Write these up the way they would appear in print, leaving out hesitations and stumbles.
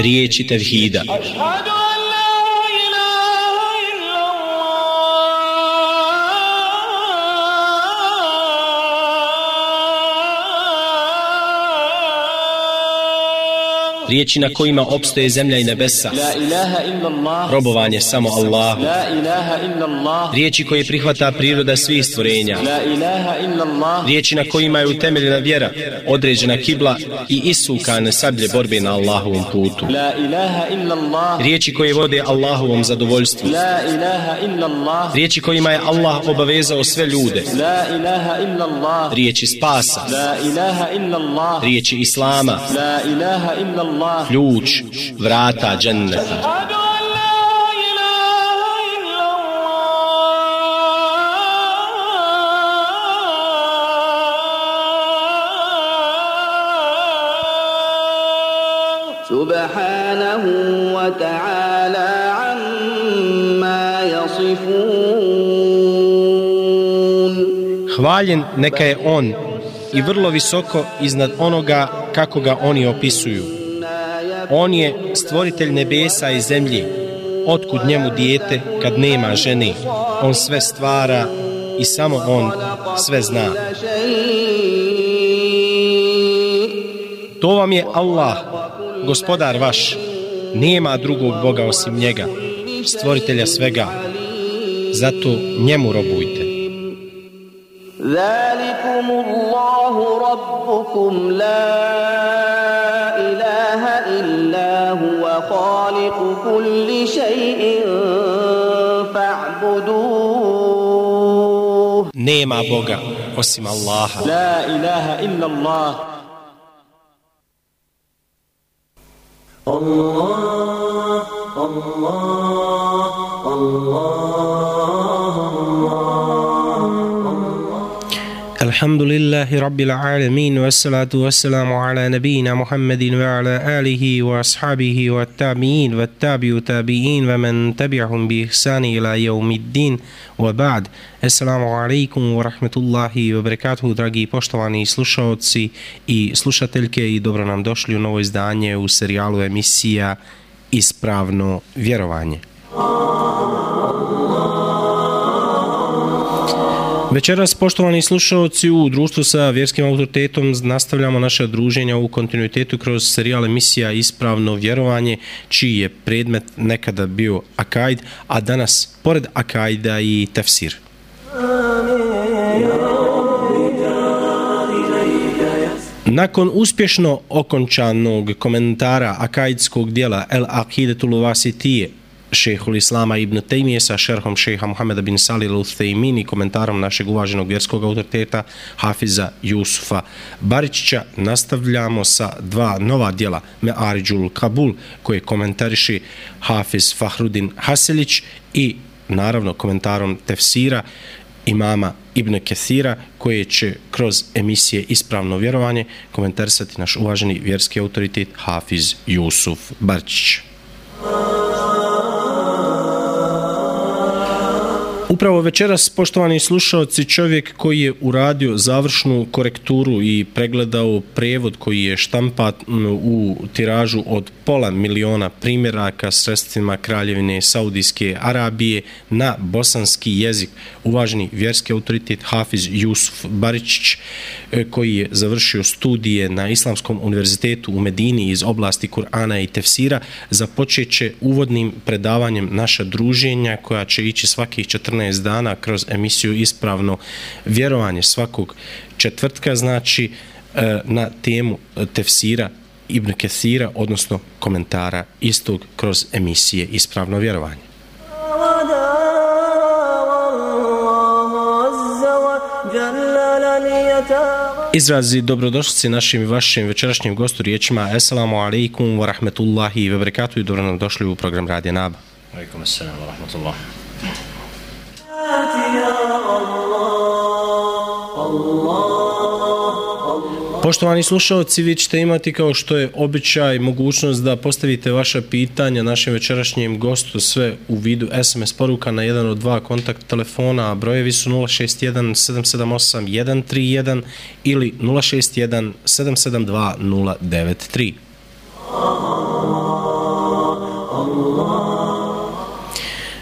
Riječi tevhida. Riječi na kojima opstoje zemlja i nebesa. Robovanje samo Allahu. Riječi koje prihvata priroda svih stvorenja. Riječi na kojima je utemeljena vjera, određena kibla i isukane sablje borbe na Allahovom putu. Riječi koje vode Allahovom zadovoljstvu. Riječi kojima je Allah obavezao sve ljude. Riječi spasa. Riječi Islama. Ključ vrata dženneta. Subhanahu wa ta'ala amma yasifun. Hvaljen neka je on i vrlo visoko iznad onoga kako ga oni opisuju. On je stvoritelj nebesa i zemlje. Otkud njemu dijete kad nema žene? On sve stvara i samo on sve zna. To vam je Allah, gospodar vaš. Nema drugog Boga osim njega, stvoritelja svega. Zato njemu robujte. Zalikumullahu rabbukum la ilaha illa huwa khaliqu kulli shay'in fa'buduh. Nema Boga osim Allaha. La ilaha illa Allah. Allah, Allah, Allah. Alhamdulillahi Rabbil Alamin, wassalatu wassalamu ala nabina Muhammadin wa ala alihi wa ashabihi wa tabi'in wa tabi'u tabi'in wa man tabi'ahum bi ihsani ila yawmiddin wa ba'd. Assalamu alaikum wa rahmatullahi wa barakatuhu, dragi poštovani slušaoci i slušateljke, i dobro nam došli u novo izdanje u serijalu emisija Ispravno vjerovanje. Večeras, poštovani slušaoci, u društvu sa vjerskim autoritetom nastavljamo naše druženja u kontinuitetu kroz serijal emisija Ispravno vjerovanje, čiji je predmet nekada bio akajd, a danas pored akajda i tefsir. Nakon uspješno okončanog komentara akajdskog dijela El Aqidatul Wasitije šejhul Islama ibn Tejmije sa šerhom šejha Muhameda bin Salih al-Uthejmin i komentarom našeg uvaženog vjerskog autoriteta Hafiza Jusufa Baričića, nastavljamo sa dva nova djela Me'aridžul Kabul, koje komentariše Hafiz Fahrudin Haselić, i naravno komentarom tefsira imama Ibn Kathira, koje će kroz emisije Ispravno vjerovanje komentarisati naš uvaženi vjerski autoritet Hafiz Jusuf Baričić. Upravo večeras, poštovani slušaoci, čovjek koji je uradio završnu korekturu i pregledao prevod koji je štampat u tiražu od 500.000 primjeraka sredstvima Kraljevine Saudijske Arabije na bosanski jezik, uvaženi vjerski autoritet Hafiz Jusuf Baričić, koji je završio studije na Islamskom univerzitetu u Medini iz oblasti Kur'ana i tefsira, započet će uvodnim predavanjem naša druženja koja će ići svakih 14 dana kroz emisiju Ispravno vjerovanje svakog četvrtka, znači na temu tefsira Ibn Kathira, odnosno komentara istog kroz emisije Ispravno vjerovanje. Izrazi dobrodošlice našim i vašim večerašnjim gostu riječima Assalamu alaikum wa rahmetullahi wa barakatuh i dobro nam došli u program Radija Naba. Alaikum assalam wa rahmatullah. Poštovani slušalci, vi ćete imati kao što je običaj mogućnost da postavite vaša pitanja našem večerašnjem gostu, sve u vidu SMS poruka na jedan od dva kontakt telefona, a brojevi su 061 778 131 ili 061 772 093.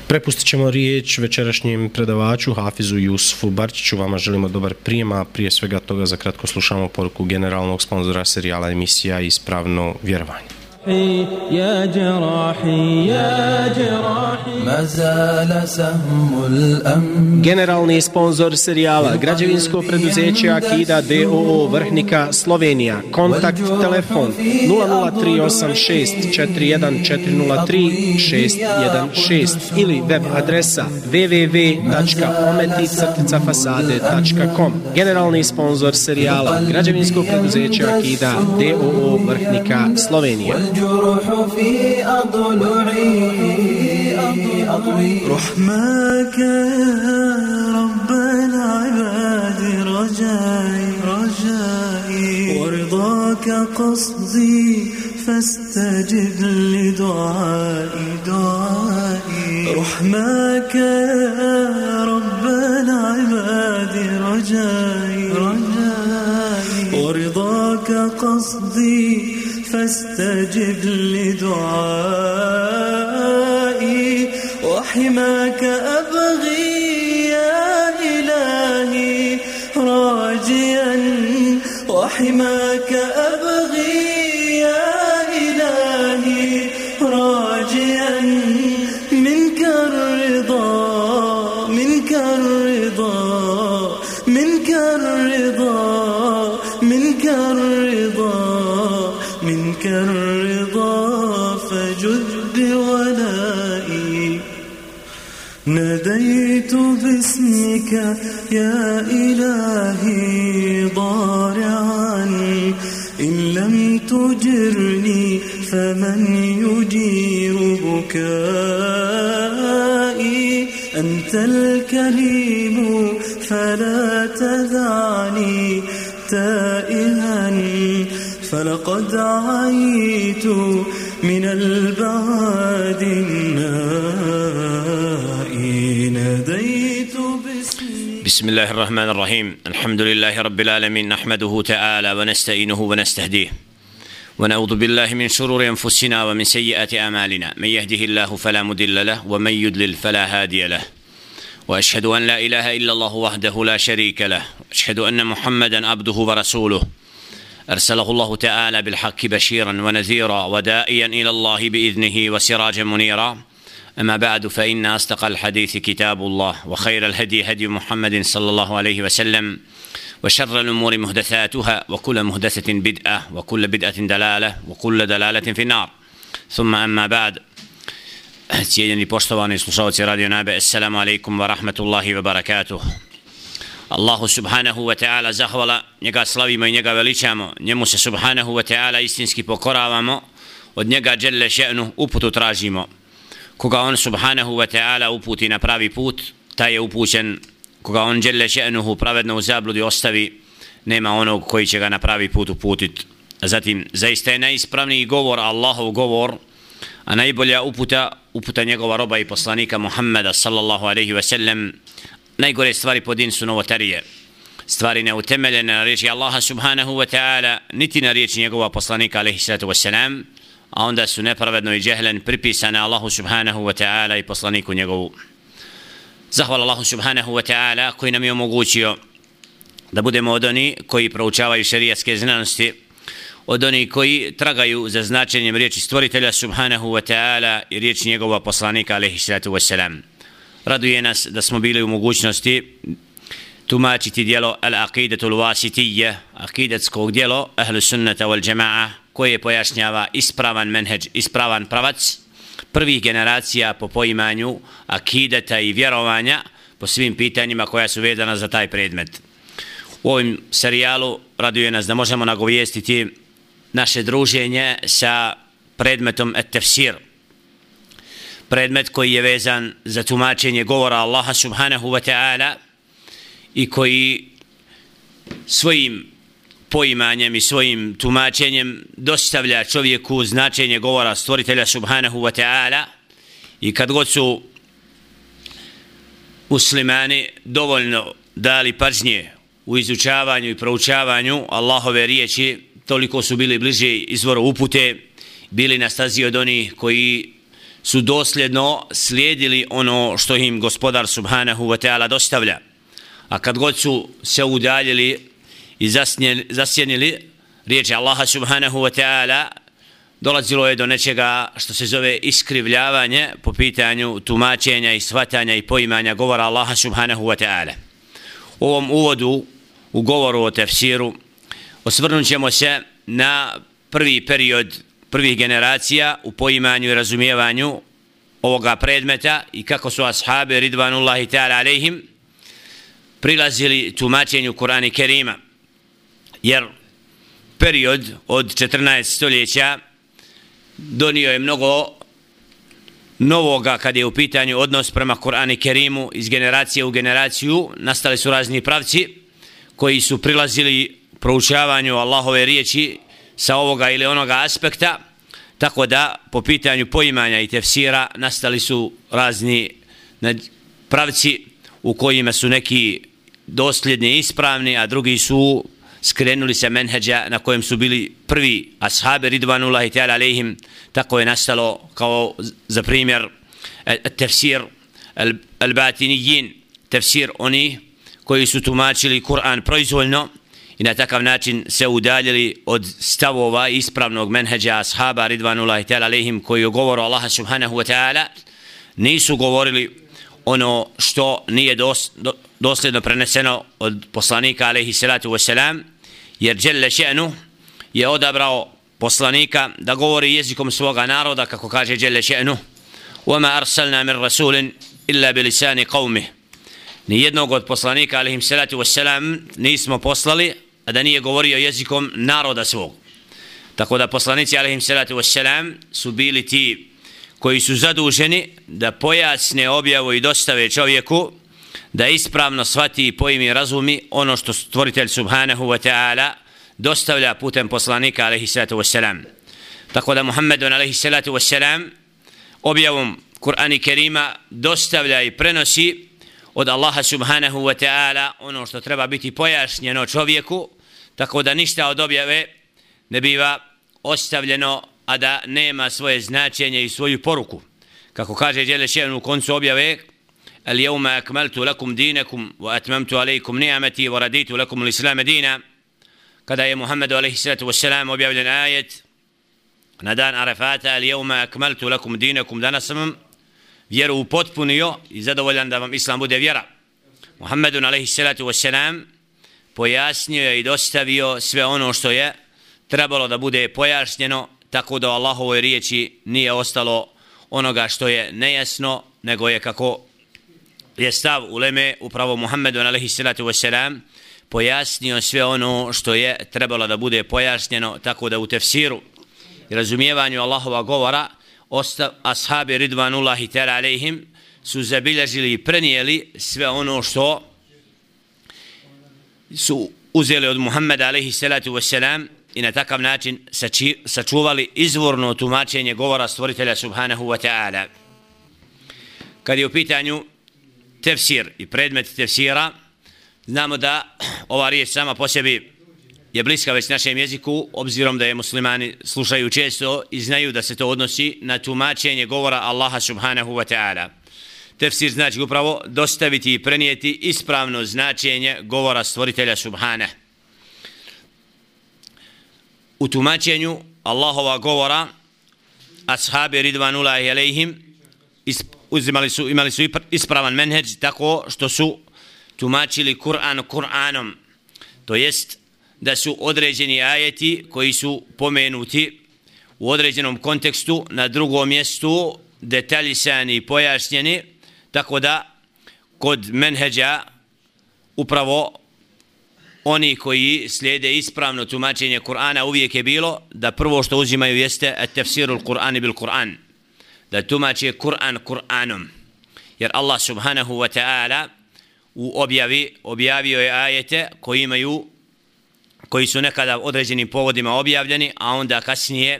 Prepustit ćemo riječ večerašnjem predavaču Hafizu Jusufu Barčiću. Vama želimo dobar prijem, a prije svega toga za kratko slušamo poruku generalnog sponzora serijala emisija Ispravno vjerovanje. يا جراحي يا جراحي ما زال سهم الأمن. Generalni sponzor serijala građevinsko preduzeće Akida d.o.o. Vrhnika Slovenija. Kontakt telefon 0038641403616 ili web adresa www.ometi-fasade.com. Generalni sponzor serijala građevinsko preduzeće Akida d.o.o. Vrhnika Slovenija. الجروح في أضلعي رحمك يا رب العباد رجائي ورضاك قصدي فاستجب لدعائي رحمك يا رب العباد رجائي ورضاك قصدي فاستجب لدعائي وحماك أبغي يا إلهي راجيا وحماك أبغي يا إلهي راجيا منك الرضا منك الرضا منك الرضا منك الرضا منك الرضا فجد بولائي ناديت باسمك يا إلهي ضارعا إن لم تجرني فمن يجير بكائي أنت الكريم فلا تدعني تائها فلقد عيت من البعاد النائي ناديت بسم الله الرحمن الرحيم الحمد لله رب العالمين نحمده تعالى ونستعينه ونستهديه ونعوذ بالله من شرور أنفسنا ومن سيئات أعمالنا من يهده الله فلا مضل له ومن يضلل فلا هادي له وأشهد أن لا إله إلا الله وحده لا شريك له وأشهد أن محمدا عبده ورسوله أرسله الله تعالى بالحق بشيرا ونذيرا ودائيا إلى الله بإذنه وسراجا منيرا أما بعد فإن أصدق الحديث كتاب الله وخير الهدي هدي محمد صلى الله عليه وسلم وشر الأمور محدثاتها وكل محدثة بدعة وكل بدعة دلالة وكل دلالة في النار ثم أما بعد cijenjeni poštovani slušalci Radio Naba, assalamu alaikum wa rahmatullahi wa barakatuh. Allahu subhanahu wa ta'ala zahvala, njega slavimo i njega veličamo, njemu se subhanahu wa ta'ala istinski pokoravamo, od njega dželle še'nu uputu tražimo. Koga on subhanahu wa ta'ala uputi na pravi put, taj je upućen. Koga on dželle še'nuhu pravedno u zabludi ostavi, nema onog koji će ga na pravi put uputit. Zatim, zaista je najispravniji govor Allahov govor, a najbolja uputa njegova roba i poslanika Muhammeda sallallahu alaihi wa sallam. Najgore stvari po din su novotarije, stvari neutemeljene na riječi Allaha subhanahu wa ta'ala, niti na riječi njegova poslanika alaihi sallatu wassalam, a onda su nepravedno i džehlen pripisane Allahu subhanahu wa ta'ala i poslaniku njegovu. Zahvala Allahu subhanahu wa ta'ala koji nam je omogućio da budemo od oni koji proučavaju šerijatske znanosti, od oni koji tragaju za značenjem riječi stvoritelja subhanahu wa ta'ala i riječi njegova poslanika alaihi sallatu wassalam. Raduje nas da smo bili u mogućnosti tumačiti dijelo Al-Aqidatul Wasitiyya, akidatskog dijelo Ahlu Sunnata wal Jama'a, koje pojašnjava ispravan menheđ, ispravan pravac prvih generacija po poimanju akidata i vjerovanja po svim pitanjima koja su vezana za taj predmet. U ovim serijalu raduje nas da možemo nagovijestiti naše druženje sa predmetom et-tefsir. Predmet koji je vezan za tumačenje govora Allaha subhanahu wa ta'ala i koji svojim poimanjem i svojim tumačenjem dostavlja čovjeku značenje govora stvoritelja subhanahu wa ta'ala. I kad god su muslimani dovoljno dali pažnje u izučavanju i proučavanju Allahove riječi, toliko su bili bliže izvoru upute, bili na stazi od onih koji su dosljedno slijedili ono što im gospodar subhanahu wa ta'ala dostavlja. A kad god su se udaljili i zasjenili riječi Allaha subhanahu wa ta'ala, dolazilo je do nečega što se zove iskrivljavanje po pitanju tumačenja i shvatanja i poimanja govora Allaha subhanahu wa ta'ala. U ovom uvodu u govoru o tefsiru osvrnut ćemo se na prvi period prvih generacija u poimanju i razumijevanju ovoga predmeta i kako su ashabi ridvanullahi ta'ala alejhim prilazili tumačenju Kur'ana Kerima. Jer period od 14 stoljeća donio je mnogo novoga kad je u pitanju odnos prema Kur'anu Kerimu. Iz generacije u generaciju nastali su razni pravci koji su prilazili proučavanju Allahove riječi sa ovoga ili onoga aspekta, tako da po pitanju poimanja i tefsira nastali su razni pravci u kojima su neki dosljedni i ispravni, a drugi su skrenuli se menheđa na kojem su bili prvi ashabi ridvanullahi ta'ala alejhim. Tako je nastalo kao za primjer tefsir al-batinijin, tefsir oni koji su tumačili Kur'an proizvoljno i na takav način se udaljili od stavova ispravnog menheđa ashaba ridvanullahi ta'ala alejhim koji o govoru Allaha subhanahu wa ta'ala nisu govorili ono što nije dosljedno preneseno od poslanika alejhi salatu wassalam, jer dželle še'nu je odabrao poslanika da govori jezikom svoga naroda, kako kaže dželle še'nu: وَمَا أَرْسَلْنَا مِنْ رَسُولٍ إِلَّا بِلِسَانِ قَوْمِهِ. Nijednog od poslanika alejhi salatu wassalam nismo poslali a da nije govorio jezikom naroda svog. Tako da poslanici alejhi salatu wassalam su bili ti koji su zaduženi da pojasne objavu i dostave čovjeku da ispravno shvati i poimi razumi ono što stvoritelj subhanahu wa ta'ala dostavlja putem poslanika alejhi salatu wassalam. Tako da Muhammedun alejhi salatu wassalam objavom Kur'ana Kerima dostavlja i prenosi od Allaha subhanahu wa ta'ala ono što treba biti pojašnjeno čovjeku, tako da ništa od objave ne biva ostavljeno a da nema svoje značenje i svoju poruku. Kako kaže dželle še'nu u koncu objave: "Al-yawma akmaltu lakum dinakum wa atmamtu alaykum ni'mati wa raditu lakum al-islam dina." Kada je Muhammedu alejhi salatu vesselam objavljen ajet na dan Arafata: "Al-yawma akmaltu lakum dinakum", danas sam vjeru upotpunio i zadovoljan da vam islam bude vjera. Muhammedun alejhi salatu vesselam pojasnio je i dostavio sve ono što je trebalo da bude pojašnjeno, tako da u Allahovoj riječi nije ostalo onoga što je nejasno, nego je, kako je stav uleme, upravo Muhammedun alejhi salatu vesselam pojasnio sve ono što je trebalo da bude pojašnjeno, tako da u tefsiru i razumijevanju Allahova govora ashabi ridvanullahi ta'ala alejhim su zabilježili i prenijeli sve ono što su uzeli od Muhammeda alejhi salatu vesselam i na takav način sačuvali izvorno tumačenje govora stvoritelja subhanahu wa ta'ala. Kad je u pitanju tefsir i predmet tefsira, znamo da ova riječ sama po sebi je bliska već našem jeziku, obzirom da je muslimani slušaju često i znaju da se to odnosi na tumačenje govora Allaha subhanahu wa ta'ala. Tefsir znači upravo dostaviti i prenijeti ispravno značenje govora stvoritelja subhanahu. U tumačenju Allahova govora ashabi ridvanullahi alejhim imali su ispravan menheđ, tako što su tumačili Kur'an Kur'anom, to jest da su određeni ajeti koji su pomenuti u određenom kontekstu na drugom mjestu detaljisani i pojašnjeni, tako da kod menheđa upravo oni koji slijede ispravno tumačenje Kur'ana uvijek je bilo da prvo što uzimaju jeste at-tafsirul Kur'ani bil Kur'an, da tumače Kur'an Kur'anom, jer Allah subhanahu wa ta'ala u objavio je ajete koji su nekada određenim povodima objavljeni, a onda kasnije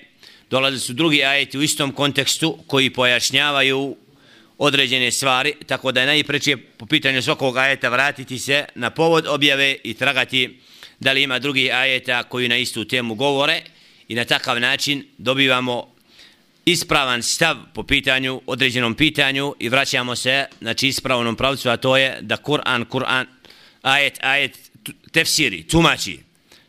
dolazili su drugi ajeti u istom kontekstu koji pojašnjavaju određene stvari, tako da je najpreće po pitanju svakog ajeta vratiti se na povod objave i tragati da li ima drugi ajeta koji na istu temu govore, i na takav način dobivamo ispravan stav po pitanju, određenom pitanju, i vraćamo se znači ispravnom pravcu, a to je da Kur'an ajet tefsiri, tumači.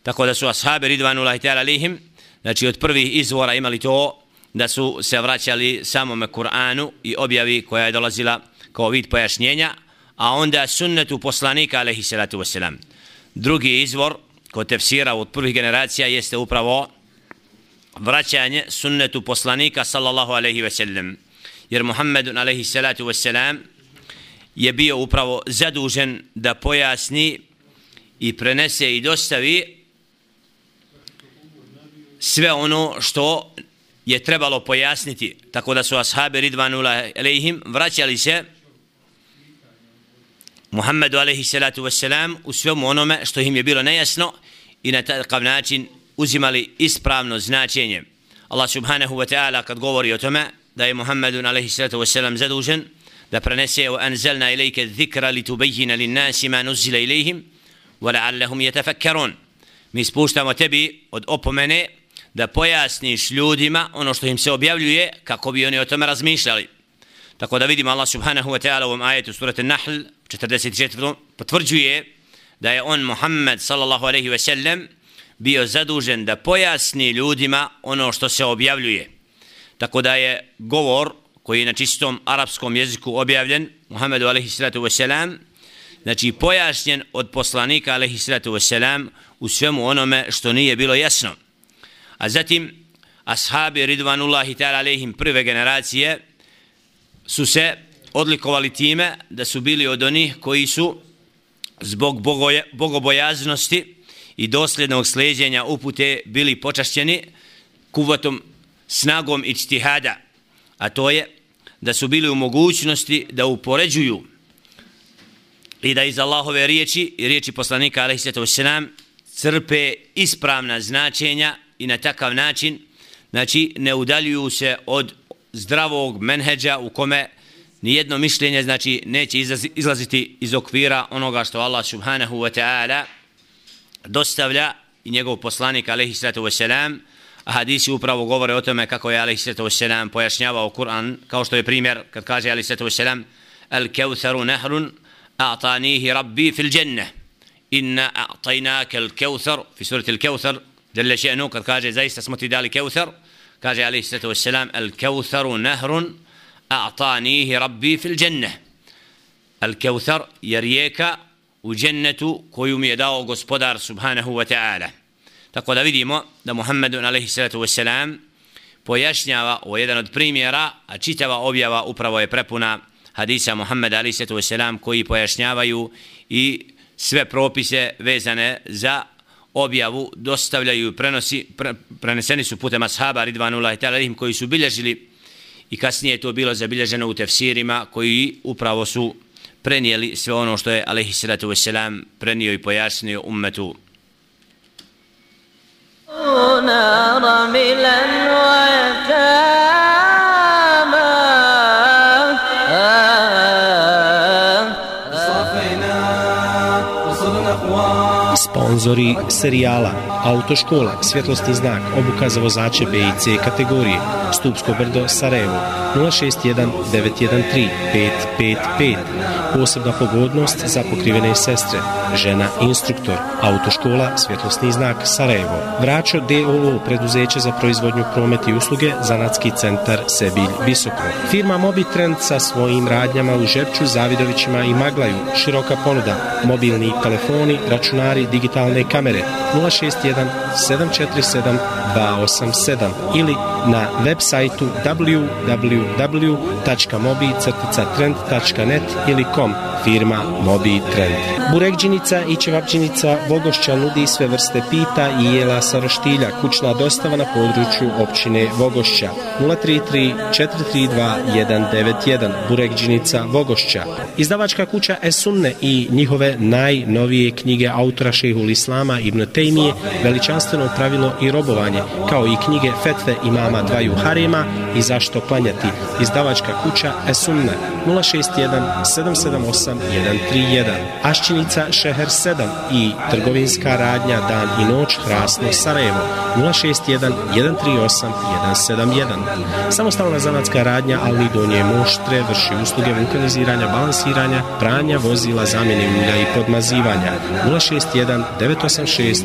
Tako da su ashabi ridvanullahi ta'ala alejhim, znači od prvih izvora imali to da su se vraćali samome Kur'anu i objavi koja je dolazila kao vid pojašnjenja, a onda sunnetu poslanika alejhi salatu vesselam. Drugi izvor kod tefsira od prvih generacija jeste upravo vraćanje sunnetu poslanika sallallahu alejhi ve sellem, jer Muhammedun alejhi salatu vesselam je bio upravo zadužen da pojasni i prenese i dostavi sve ono što je trebalo pojasniti, tako da su ashabi ridvanullahi alejhim vraćali se Muhammedu alejhi salatu vesselam u svemu onome što im je bilo nejasno i na takav način uzimali ispravno značenje. Allah subhanahu wa ta'ala kad govori o tome da je Muhammedun alejhi salatu vesselam zadužen da prenese wa anzalna ilayka adh-dhikra litubayyana lin-nasi ma nuzila ilayhim wa la'allahum yatafakkarun. Mi spuštamo tebi od opomene da pojasniš ljudima ono što im se objavljuje kako bi oni o tome razmišljali. Tako da vidimo Allah subhanahu wa ta'ala u ovom ajetu surati Nahl 44. potvrđuje da je on Muhammed sallallahu alejhi ve sellem bio zadužen da pojasni ljudima ono što se objavljuje. Tako da je govor koji je na čistom arapskom jeziku objavljen Muhammedu alejhi salatu vesselam, znači pojašnjen od poslanika alejhi salatu vesselam u svemu onome što nije bilo jasno. A zatim ashabi ridvanullahi ta'ala alejhim prve generacije su se odlikovali time da su bili od onih koji su zbog bogobojaznosti i dosljednog slijeđenja upute bili počašćeni kuvatom, snagom ijtihada, a to je da su bili u mogućnosti da upoređuju i da iz Allahove riječi i riječi poslanika alejhi salatu vesselam crpe ispravna značenja i na takav način znači ne udaljuju se od zdravog menheđa u kome nijedno mišljenje znači neće izlaziti iz okvira onoga što Allah subhanahu wa ta'ala dostavlja i njegov poslanik alejhi salatu vesselam. A hadisi upravo govore o tome kako je alejhi salatu vesselam pojašnjavao Kur'an, kao što je primjer kad kaže alejhi salatu vesselam al-kawtharu nahrun a'tanihi rabbi fil jannah inna a'tainaka al-kawthar fi surati al-kawthar jalla sha'nu, kad kaže zaista smo ti dali kawthar, kaže alejhi salatu vesselam al-kawtharu nahrun a'tanihi rabbi fil jannah. Al-kawthar je rijeka u džennetu koju mi je dao gospodar subhanahu wa ta'ala. Tako da vidimo da Muhammedun alejhi salatu vesselam pojašnjava o jedan od primjera, a čitava objava upravo je prepuna hadisa Muhammeda alejhi salatu vesselam koji pojašnjavaju i sve propise vezane za objavu dostavljaju i preneseni su putem ashaba ridvanullahi ta'ala alejhim koji su bilježili, i kasnije je to bilo zabilježeno u tefsirima koji upravo su prenijeli sve ono što je alejhi salatu vesselam prenio i pojasnio ummetu. Sponzori serijala: Autoškola, svjetlosni znak, obuka za vozače B i C kategorije, Stupsko brdo, Sarajevo, 061 913 555. Posebna pogodnost za pokrivene sestre, žena instruktor, Autoškola, svjetlosni znak, Sarajevo. Vračo D.O.O. preduzeće za proizvodnju, promet i usluge, zanatski centar Sebilj Visoko. Firma Mobitrend sa svojim radnjama u Žepču, Zavidovićima i Maglaju, široka ponuda, mobilni telefoni, računari, digitalne kamere, 061 747 287 ili na web sajtu www.mobi-trend.net ili com. firma Mobi Trend. Burekđinica i ćevapđinica Vogošća nudi sve vrste pita i jela sa roštilja. Kućna dostava na području općine Vogošća. 033 432 191. Burekđinica Vogošća. Izdavačka kuća Esunne i njihove najnovije knjige autora Šejhul Islama Ibn Tejmije, Veličanstveno pravilo i robovanje, kao i knjige Fetve imama dvaju harema i Zašto klanjati. Izdavačka kuća Esunne. 061 778 131. Ašćinica Šeher 7 i trgovinska radnja Dan i noć Hrasno Sarajevo. 061 138 171. Samostalna zanatska radnja Alni Donje Moštre vrši usluge vulkaniziranja, balansiranja, pranja vozila, zamjene ulja i podmazivanja. 061 986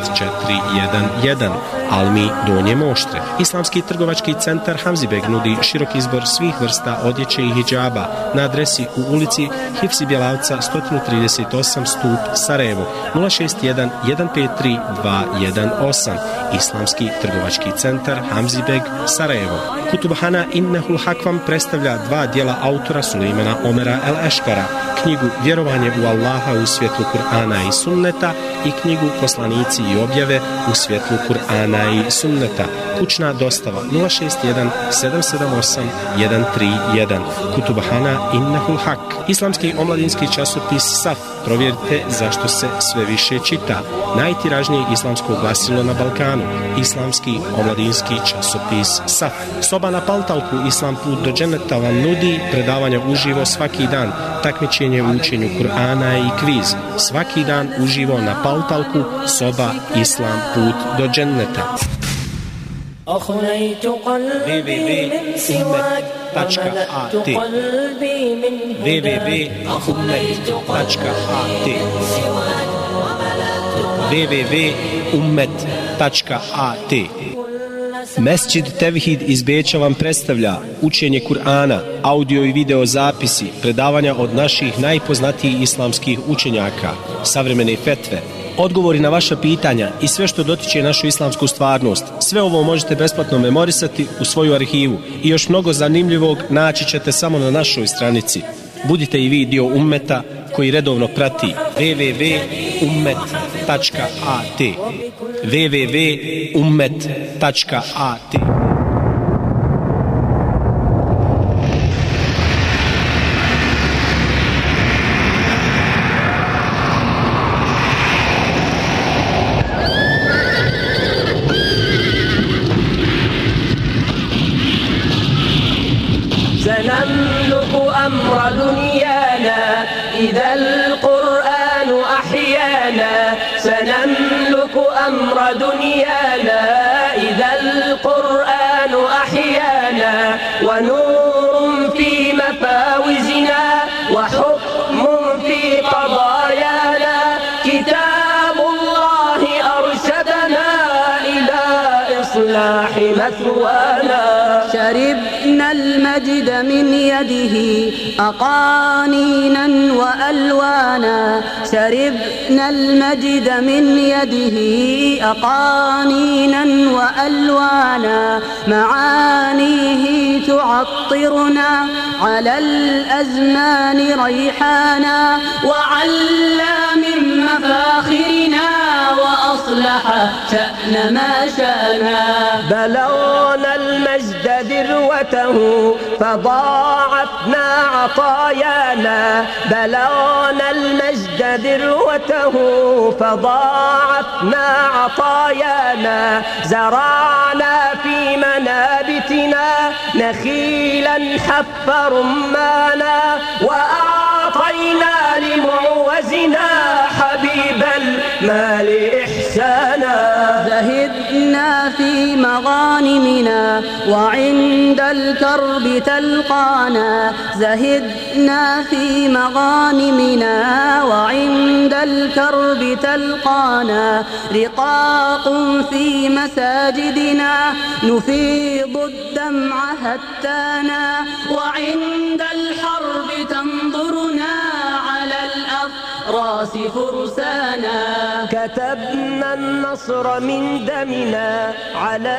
411. Almi Donje Moštre. Islamski trgovački centar Hamzibeg nudi širok izbor svih vrsta odjeće i hidžaba na adresi u ulici Hifsi Bjelavca 138 Stup Sarajevo. 061 153 218. Islamski trgovački centar Hamzibeg Sarajevo. Kutubhana Innehul Hakvam predstavlja dva dijela autora Sulejmana Omera El Eškara, knjigu Vjerovanje u Allaha u svjetlu Kur'ana i Sunneta i knjigu Poslanici i objave u svjetlu Kur'ana i Sunneta. Kućna dostava 061 778 131. Kutubhana Innehul Hak. Islamski omladinski časopis Saf. Provjerite zašto se sve više čita. Najtiražnije islamsko glasilo na Balkanu. Islamski omladinski časopis Saf. Soba na Paltalku Islam put do dženeta vam nudi predavanja uživo svaki dan, takmičenje u učenju Kur'ana i kviz. Svaki dan uživo na Paltalku Soba Islam put do dženeta. www.ummet.at www.ummet.at www.ummet.at Mesdžid Tevhid iz Beča vam predstavlja učenje Kur'ana, audio i video zapisi, predavanja od naših najpoznatijih islamskih učenjaka, savremene fetve, odgovori na vaša pitanja i sve što dotiče našu islamsku stvarnost. Sve ovo možete besplatno memorisati u svoju arhivu i još mnogo zanimljivog naći ćete samo na našoj stranici. Budite i vi dio ummeta koji redovno prati www.ummet.at www.ummet.at سنملك أمر دنيانا إذا القرآن أحيانا سنملك أمر دنيانا إذا القرآن أحيانا ونور في مفاوزنا وحكم في قضايانا كتاب الله أرشدنا إلى إصلاح مثوانا شربنا المجد من يده أقانينا وألوانا شربنا المجد من يده أقانينا وألوانا معانيه تعطرنا على الأزمان ريحانا وعلى من مفاخرنا وأصلح شأن ما شانا بلغنا المجد ذروته فضاعفنا عطايانا بلغنا المجد ذروته فضاعفنا عطايانا زرعنا في منابتنا نخيلا حف رمانا وأعطينا لمعوزنا حبيب المال إحسانا زهدنا في مغانمنا وعند الكرب تلقانا زهدنا في مغانمنا وعند الكرب تلقانا رقاق في مساجدنا نفيض الدمع هتانا وعند الحرب تنظرنا على الأفضل الأراس فرسانا كتبنا النصر من دمنا على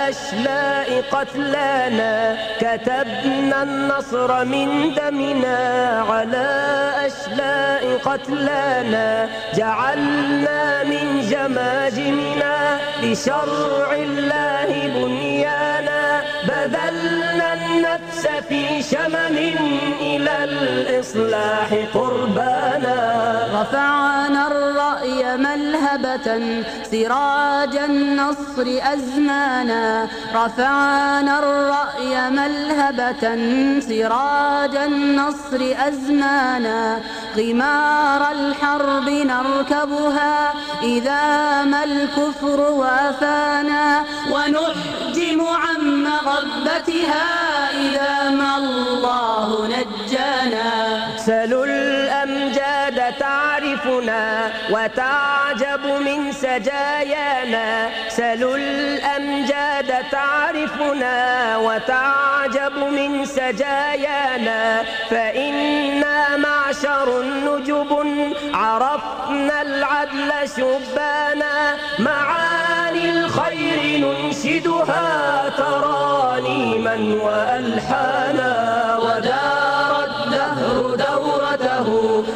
أشلاء قتلانا كتبنا النصر من دمنا على أشلاء قتلانا جعلنا من جماجمنا لشرع الله بنيانا بذلنا النفس في شمم إلى الإصلاح قربانا رفعنا الرأي ملهبة سراج النصر أزمانا رفعنا الرأي ملهبة سراج النصر أزمانا غمار الحرب نركبها إذا ما الكفر وافانا ونحجم عن مغبتها إذا ما الله نجانا سلوا الأمجاد تعرفنا وتعجب من سجايانا سلوا الأمجاد تعرفنا وتعجب من سجايانا فإنا معشر نجب عرفنا العدل شبانا معاني الخير ننشدها ترانيما وألحانا ودار الدهر دورته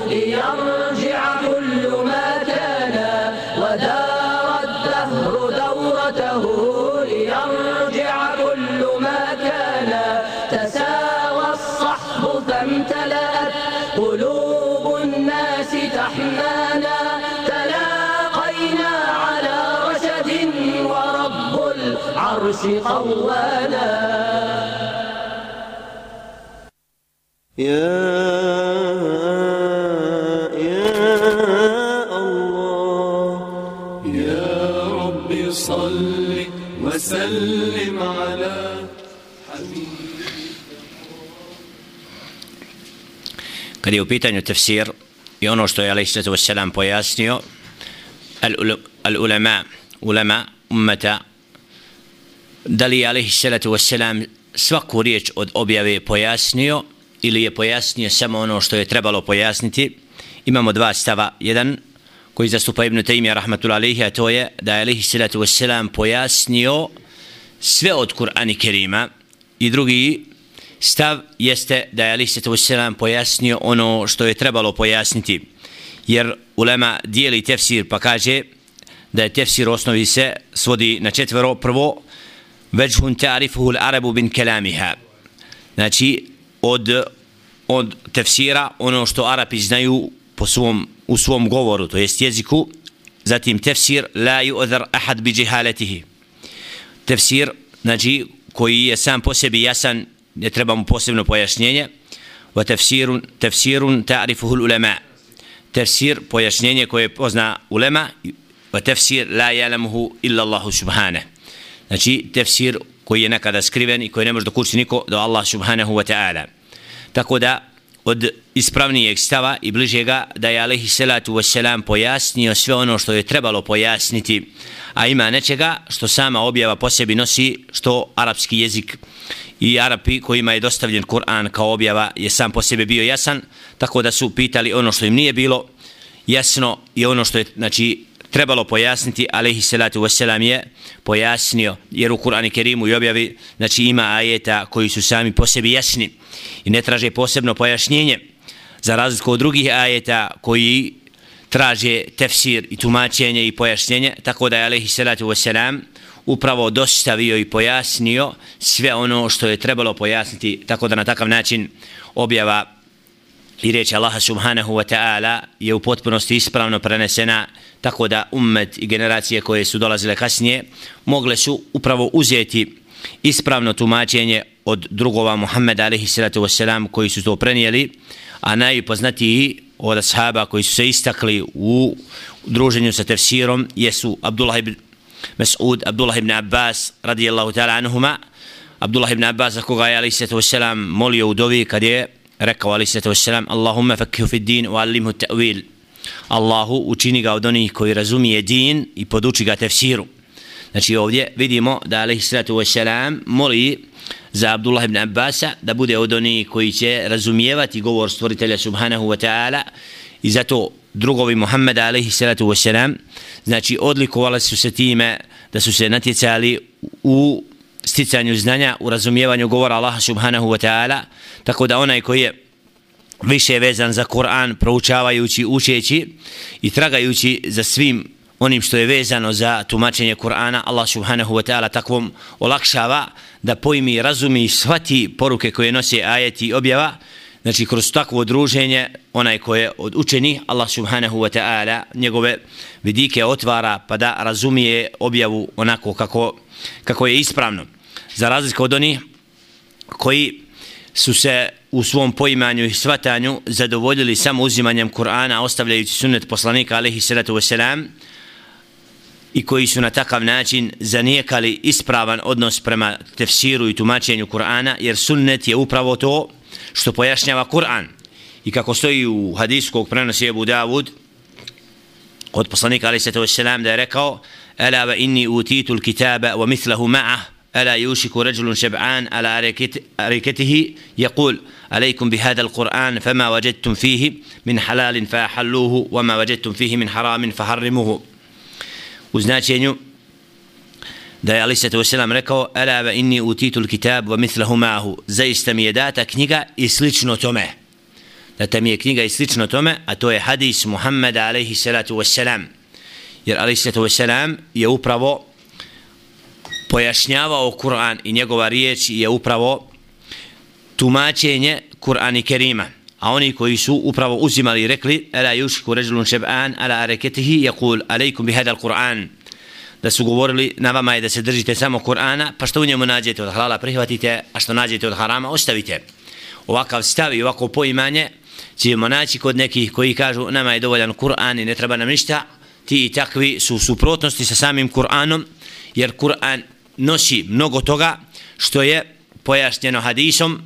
ليرجع كل ما كان ودار الدهر دورته ليرجع كل ما كان تساوى الصحب فامتلأت قلوب الناس تحنانا تلاقينا على رشد ورب العرش قوانا يا الله يا رب صل وسلم على حبيبك. Kad je u pitanju tefsir i ono što je alejhi salatu vesselam pojasnio, ulema ummeta, da li je alejhi salatu vesselam svaku riječ od objave pojasnio ili je pojasnio samo ono što je trebalo pojasniti. Imamo dva stava. Jedan koji zastupa Ibn Taymija rahmatullahi alejhi, a to je da je alejhi salatu vesselam pojasnio sve od Kur'ana Kerima, i drugi stav jeste da je alejhi salatu vesselam pojasnio ono što je trebalo pojasniti, jer ulema dijeli tefsir pa kaže da je tefsir u osnovi se svodi na četvero. Prvo, veđhun ta'rifuhu al-arabu bin kalamiha, znači od tefsira ono što Arapi znaju u svom govoru, to jest jeziku. Zatim tefsir la yu'dhar ahad bi jahalatihi, tefsir znači koji je sam po sebi jasan, ne treba mu posebno pojašnjenje. Wa tefsirun ta'rifuhu al-ulama, tefsir pojašnjenje koje pozna ulema. Wa tefsir la ya'lamuhu illa Allah subhanahu, znači tefsir koji je nekada skriven i koji ne može dokučiti niko do Allah subhanahu wa ta'ala. Tako da od ispravnijeg stava i bližega da je alejhi salatu vesselam pojasnio sve ono što je trebalo pojasniti, a ima nečega što sama objava po sebi nosi, što arapski jezik i Arapi kojima je dostavljen Kur'an kao objava je sam po sebi bio jasan, tako da su pitali ono što im nije bilo jasno i ono što je znači trebalo pojasniti, alejhi salatu vesselam je pojasnio, jer u Kur'anu Kerimu i objavi znači ima ajeta koji su sami po sebi jasni i ne traže posebno pojašnjenje, za razliku od drugih ajeta koji traže tefsir i tumačenje i pojašnjenje. Tako da je alejhi salatu vesselam upravo dostavio i pojasnio sve ono što je trebalo pojasniti, tako da na takav način objava i riječ Allaha subhanahu wa ta'ala je u potpunosti ispravno prenesena, tako da ummet i generacije koje su dolazile kasnije mogle su upravo uzeti ispravno tumačenje od drugova Muhammeda alejhi salatu vesselam koji su to prenijeli, a najpoznatiji od ashaba koji su se istakli u druženju sa tefsirom jesu Abdullah ibn Mas'ud, Abdullah ibn Abbas radijallahu ta'ala anhuma. Abdullah ibn Abbas, koga je alejhi salatu vesselam molio u dovi kad je rekao alejhi salatu vesselam Allahumma fakkihu fid din wa allimhu ta'wil, Allahu učini ga od onih koji razumije din i poduči ga tefsiru. Znači ovdje vidimo da alejhi salatu vesselam moli za Abdullah ibn Abbasa da bude od onih koji će razumijevati govor stvoritelja subhanahu wa ta'ala, i zato drugovi Muhammeda alejhi salatu vesselam, znači odlikovali su se time da su se natjecali u sticanju znanja, u razumijevanju govora Allaha subhanahu wa ta'ala, tako da onaj koji je više vezan za Kur'an, proučavajući, učeći i tragajući za svim onim što je vezano za tumačenje Kur'ana, Allah subhanahu wa ta'ala takvom olakšava da pojmi, razumi i shvati poruke koje nose ajeti i objava. Znači kroz takvo druženje onaj koji je od učenih, Allah subhanahu wa ta'ala njegove vidike otvara pa da razumije objavu onako kako je ispravno. Za razliku od onih koji su se u svom poimanju i shvatanju zadovoljili samo uzimanjem Kur'ana, ostavljajući sunnet poslanika alejhi salatu vesselam, i koji su na takav način zanijekali ispravan odnos prema tefsiru i tumačenju Kur'ana, jer sunnet je upravo to što pojašnjava Kur'an. I kako stoji u hadisu kog prenosi Ebu Davud od poslanika alejhi salatu vesselam da je rekao: "Ala wa inni utitu al-kitaba wa mithluhu ma'ah, ala yushiku rajulun shab'an ala arikatihi yaqul alaykum bihadha al-Qur'an fama wajadtum fihi min halalin fahalluhu wa ma wajadtum fihi min haramin faharrimuhu." U značenju da je alejhi salatu vesselam rekao: "Ala wa inni utitu al-kitab wa mithluhu ma'ahu", zaista mi je data knjiga i slično tome. Data mi je knjiga i slično tome, a to je hadis Muhammeda alejhi salatu vesselam. Jer alejhi salatu vesselam je upravo pojašnjavao Kur'an i njegova riječ je upravo tumačenje Kur'ana Kerima. A oni koji su upravo uzimali i rekli: "Ala yushiku rajulun shab'an ala arakatihi yaqul alaykum bihadha al-Qur'an", da su govorili na vama je da se držite samo Kur'ana, pa što u njemu nađete od halala prihvatite, a što nađete od harama ostavite. Ovakav stav i ovako poimanje ćemo naći kod nekih koji kažu nama je dovoljan Kur'an i ne treba nam ništa. Ti i takvi su u suprotnosti sa samim Kur'anom, jer Kur'an nosi mnogo toga što je pojašnjeno hadisom,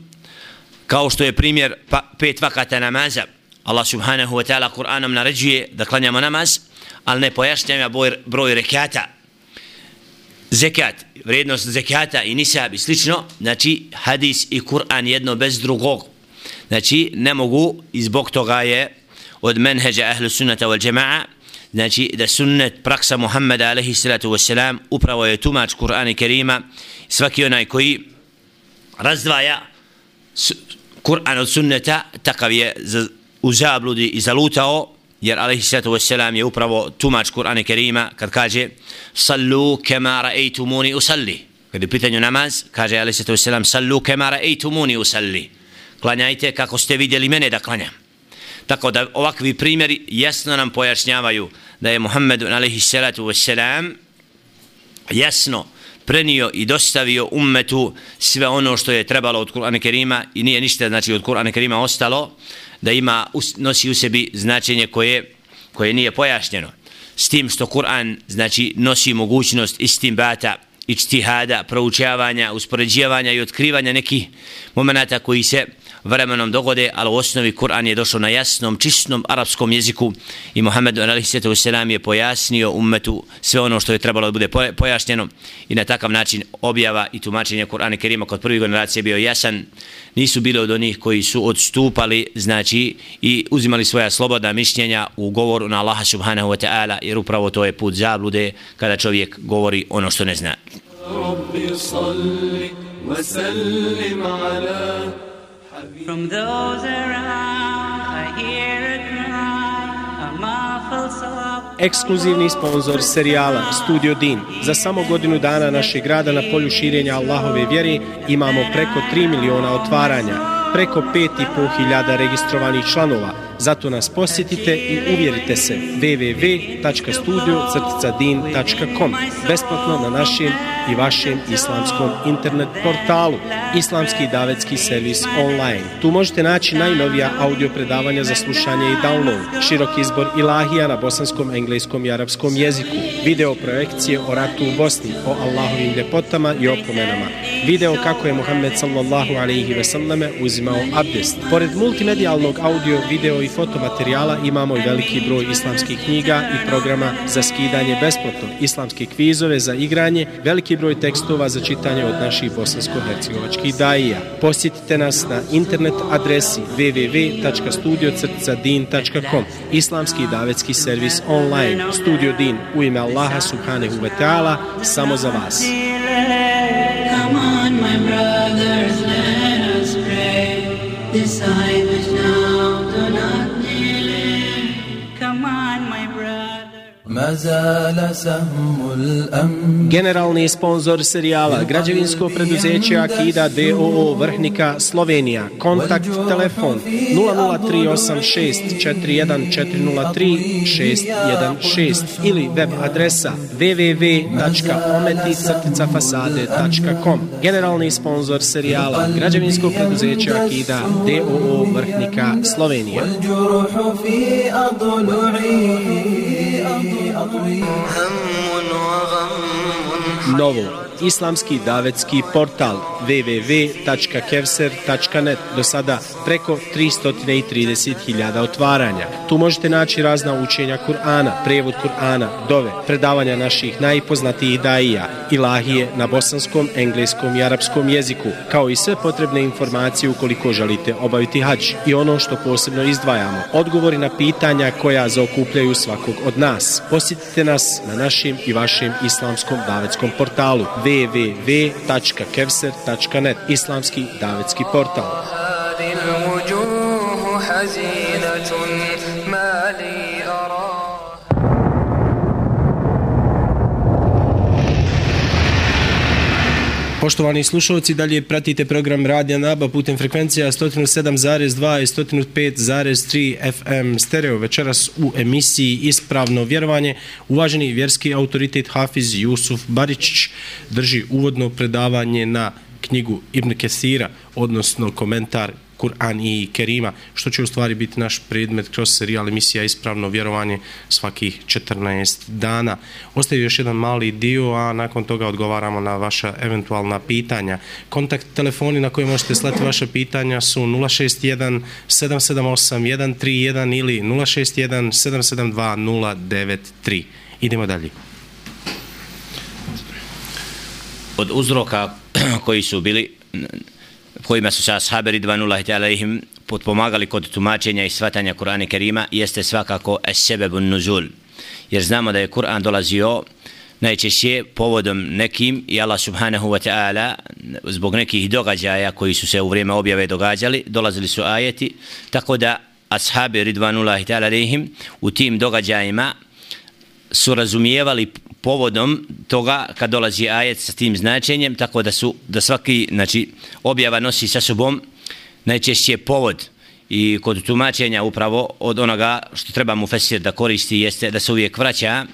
kao što je primjer 5 vakata namaza. Allah subhanahu wa ta'ala Kur'anom naređuje da klanjamo namaz, ali ne pojašnjava broj rekata. Zekat, vrijednost zekata i nisab i slično, znači hadis i Kur'an jedno bez drugog. Znači ne mogu, i zbog toga je od menheđa ahlu sunnata wal jama'a, znači da sunnet, praksa Muhammeda alejhi salatu vesselam upravo je tumač Kur'ana Kerima. Svaki onaj koji razdvaja Kur'an od sunneta, takav je u zabludi i zalutao, jer alejhi salatu vesselam je upravo tumač Kur'ana Kerima kad kaže: "Sallu kama ra'aytumuni usalli", kad je pitanju namaz, kaže alejhi salatu vesselam: "Sallu kama ra'aytumuni usalli", klanjajte kako ste vidjeli mene da klanjam. Tako da ovakvi primjeri jasno nam pojašnjavaju da je Muhammed alejhi salatu vesselam jasno prenio i dostavio ummetu sve ono što je trebalo od Kur'ana Kerima i nije ništa znači od Kur'ana Kerima ostalo da nosi u sebi značenje koje nije pojašnjeno. S tim što Kur'an znači nosi mogućnost istinbata, ijtihada, proučavanja, uspoređivanja i otkrivanja nekih momenata koji se vremenom dogode, ali u osnovi Kur'an je došao na jasnom, čistom arapskom jeziku i Muhammed alejhi salatu vesselam je pojasnio ummetu sve ono što je trebalo da bude pojašnjeno i na takav način objava i tumačenje Kur'ana Kerima kod prvih generacija bio jasan. Nisu bili od onih koji su odstupali, znači, i uzimali svoja slobodna mišljenja u govoru na Allaha subhanahu wa ta'ala, jer upravo to je put zablude kada čovjek govori ono što ne zna. From those around I hear a cry, a muffled sob. Ekskluzivni sponsor serijala Studio Din. Za samo godinu dana našeg rada na polju širenja Allahove vjere imamo preko 3 miliona otvaranja, preko 5.500 registrovanih članova. Zato nas posjetite i uvjerite se. www.studio-din.com. Besplatno na našem i vašem islamskom internet portalu. Islamski davetski servis online. Tu možete naći najnovija audio predavanja za slušanje i download, širok izbor ilahija na bosanskom, engleskom i arapskom jeziku, video projekcije o ratu u Bosni, o Allahovim ljepotama i opomenama, video kako je Muhammed sallallahu alejhi ve selleme uzimao abdest. Pored multimedijalnog audio, video i fotomaterijala imamo i veliki broj islamskih knjiga i programa za skidanje besplatno, islamske kvizove za igranje, veliki broj tekstova za čitanje od naših bosansko-hercegovačkih daija. Posjetite nas na internet adresi www.studio-din.com. Islamski davetski servis online. Studio Din, u ime Allaha subhanahu wa ta'ala, samo za vas. Come on, my brothers, let us pray. Decide which now do not delay. Come on, my brother. ما زال سهم الأمن. Generalni sponsor serijala građevinsko preduzeće Akida DOO Vrhnika Slovenija. Kontakt telefon 0038641403616 ili web adresa www.ometi-fasade.com. Generalni sponsor serijala građevinsko preduzeće Akida DOO Vrhnika Slovenija. والجروح في أضلعي Novo, islamski davetski portal www.kevser.net, do sada preko 330.000 otvaranja. Tu možete naći razna učenja Kur'ana, prevod Kur'ana, dove, predavanja naših najpoznatijih daija, ilahije na bosanskom, engleskom i arapskom jeziku, kao i sve potrebne informacije ukoliko želite obaviti hadž. I ono što posebno izdvajamo, odgovori na pitanja koja zaokupljaju svakog od nas. Posjetite nas na našim i vašim islamskom davetskom portalu www.kevser.net, islamski davetski portal. هذه الوجوه حزينة ما لي أرى. Poštovani slušalci, dalje pratite program Radija Naba putem frekvencija 107,2 i 105,3 FM stereo. Večeras u emisiji Ispravno vjerovanje uvaženi vjerski autoritet Hafiz Jusuf Baričić drži uvodno predavanje na knjigu Ibn Kesira, odnosno komentar Kur'an i Kerima, što će u stvari biti naš predmet kroz serijal emisija Ispravno vjerovanje svakih 14 dana. Ostaje još jedan mali dio, a nakon toga odgovaramo na vaša eventualna pitanja. Kontakt telefoni na koje možete slati vaša pitanja su 061 778 131 ili 061 772 093. Idemo dalje. Od uzroka koji su bili, kojima su se ashabi ridvanullahi ta'ala alejhim potpomagali kod tumačenja i shvatanja Kur'ana Kerima, jeste svakako es-sebebun nuzul. Jer znamo da je Kur'an dolazio najčešće povodom nekim i Allah subhanahu wa ta'ala zbog nekih događaja koji su se u vrijeme objave događali, dolazili su ajeti, tako da ashabi ridvanullahi ta'ala alejhim u tim događajima su razumijevali povodom toga kad dolazi ajet sa tim značenjem, tako da svaki, znači, objava nosi sa sobom najčešće povod. I kod tumačenja upravo od onoga što treba mu fesir da koristi jeste da se uvijek vraća,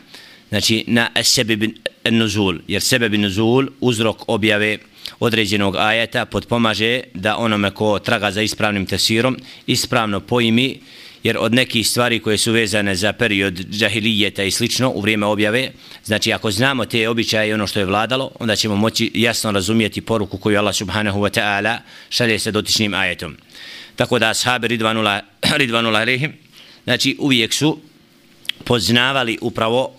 znači, na sebeb nuzul, jer sebeb nuzul, uzrok objave određenog ajeta, potpomaže da onome ko traga za ispravnim tefsirom ispravno pojmi, jer od nekih stvari koje su vezane za period džahilijeta i slično u vrijeme objave, znači ako znamo te običaje i ono što je vladalo, onda ćemo moći jasno razumijeti poruku koju Allah subhanahu wa ta'ala šalje se dotičnim ajetom. Tako da ashabi ridvanullahi alejhim, znači uvijek su poznavali upravo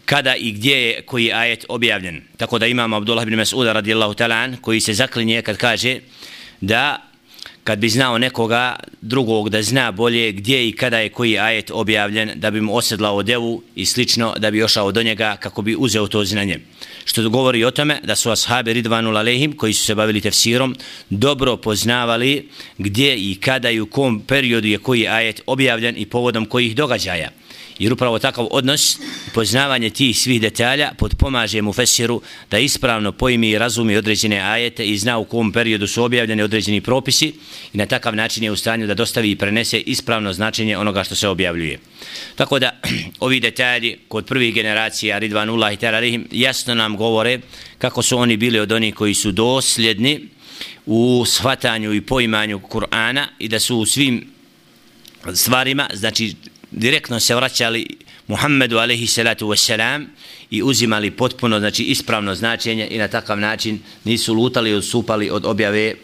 kada i gdje je koji ajet objavljen. Tako da imamo Abdullah ibn Mas'uda radijallahu ta'ala an, koji se zaklinje kad kaže da kad bi znao nekoga drugog da zna bolje gdje i kada je koji ajet objavljen, da bi mu osedlao devu i slično, da bi ošao do njega kako bi uzeo to znanje. Što govori o tome da su ashabi ridvanullahi alejhim koji su se bavili tefsirom dobro poznavali gdje i kada i u kom periodu je koji ajet objavljen i povodom kojih događaja. Jer upravo takav odnos, poznavanje tih svih detalja potpomaže mu fesiru da ispravno pojmi i razumi određene ajete i zna u kom periodu su objavljeni određeni propisi i na takav način je u stanju da dostavi i prenese ispravno značenje onoga što se objavljuje. Tako da ovi detalji kod prvih generacija ridvanullahi ta'ala alejhim jasno nam govore kako su oni bili od onih koji su dosljedni u shvatanju i poimanju Kur'ana i da su u svim stvarima, znači direktno se vraćali Muhammedu alejhi salatu vesselam i uzimali potpuno, znači ispravno značenje i na takav način nisu lutali i odstupali od objave,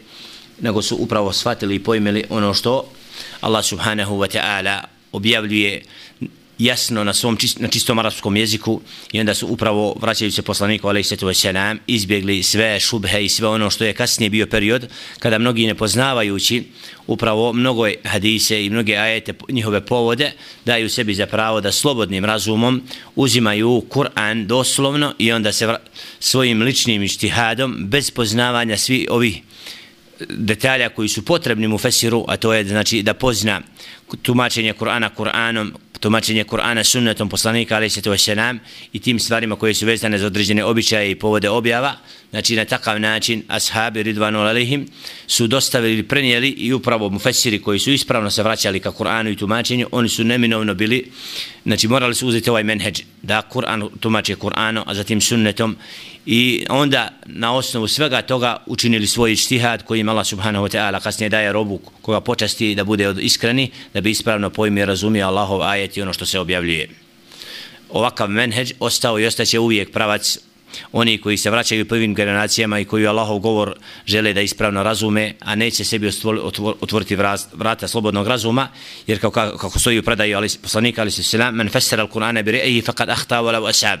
nego su upravo shvatili i pojmili ono što Allah subhanahu wa ta'ala objavljuje jasno na čistom arapskom jeziku, i onda su upravo, vraćajući se poslaniku alejhi salatu vesselam, izbjegli sve šubhe i sve ono što je kasnije bio period kada mnogi nepoznavajući upravo mnogo hadise i mnoge ajete, njihove povode, daju sebi za pravo da slobodnim razumom uzimaju Kur'an doslovno i onda se svojim ličnim ijtihadom bez poznavanja svi ovih detalja koji su potrebni mu fesiru, a to je znači da pozna tumačenje Kur'ana Kur'anom, tumačenje Kur'ana sunnetom poslanika alejhi salatu vesselam i tim stvarima koje su vezane za određene običaje i povode objava. Znači na takav način ashabi ridvanu alejhim su dostavili ili prenijeli, i upravo mufesiri koji su ispravno se vraćali ka Kur'anu i tumačenju, oni su neminovno bili, znači morali su uzeti ovaj menheđ da Kur'an tumače Kur'anom, a zatim sunnetom, i onda na osnovu svega toga učinili svoj ijtihad koji im Allah subhanahu wa ta'ala kasnije daje robu koga počasti da bude iskreni, da bi ispravno pojmio i razumio Allahov ajet i ono što se objavljuje. Ovakav menheđ ostao i ostaće uvijek pravac oni koji se vraćaju prvim generacijama i koji Allahov govor žele da ispravno razume, a neće sebi otvoriti vrata slobodnog razuma, jer kako stoji u predaju poslanika alejhi selam, men fassara al-Qur'ana bi ra'yihi faqad akhta wa law asab,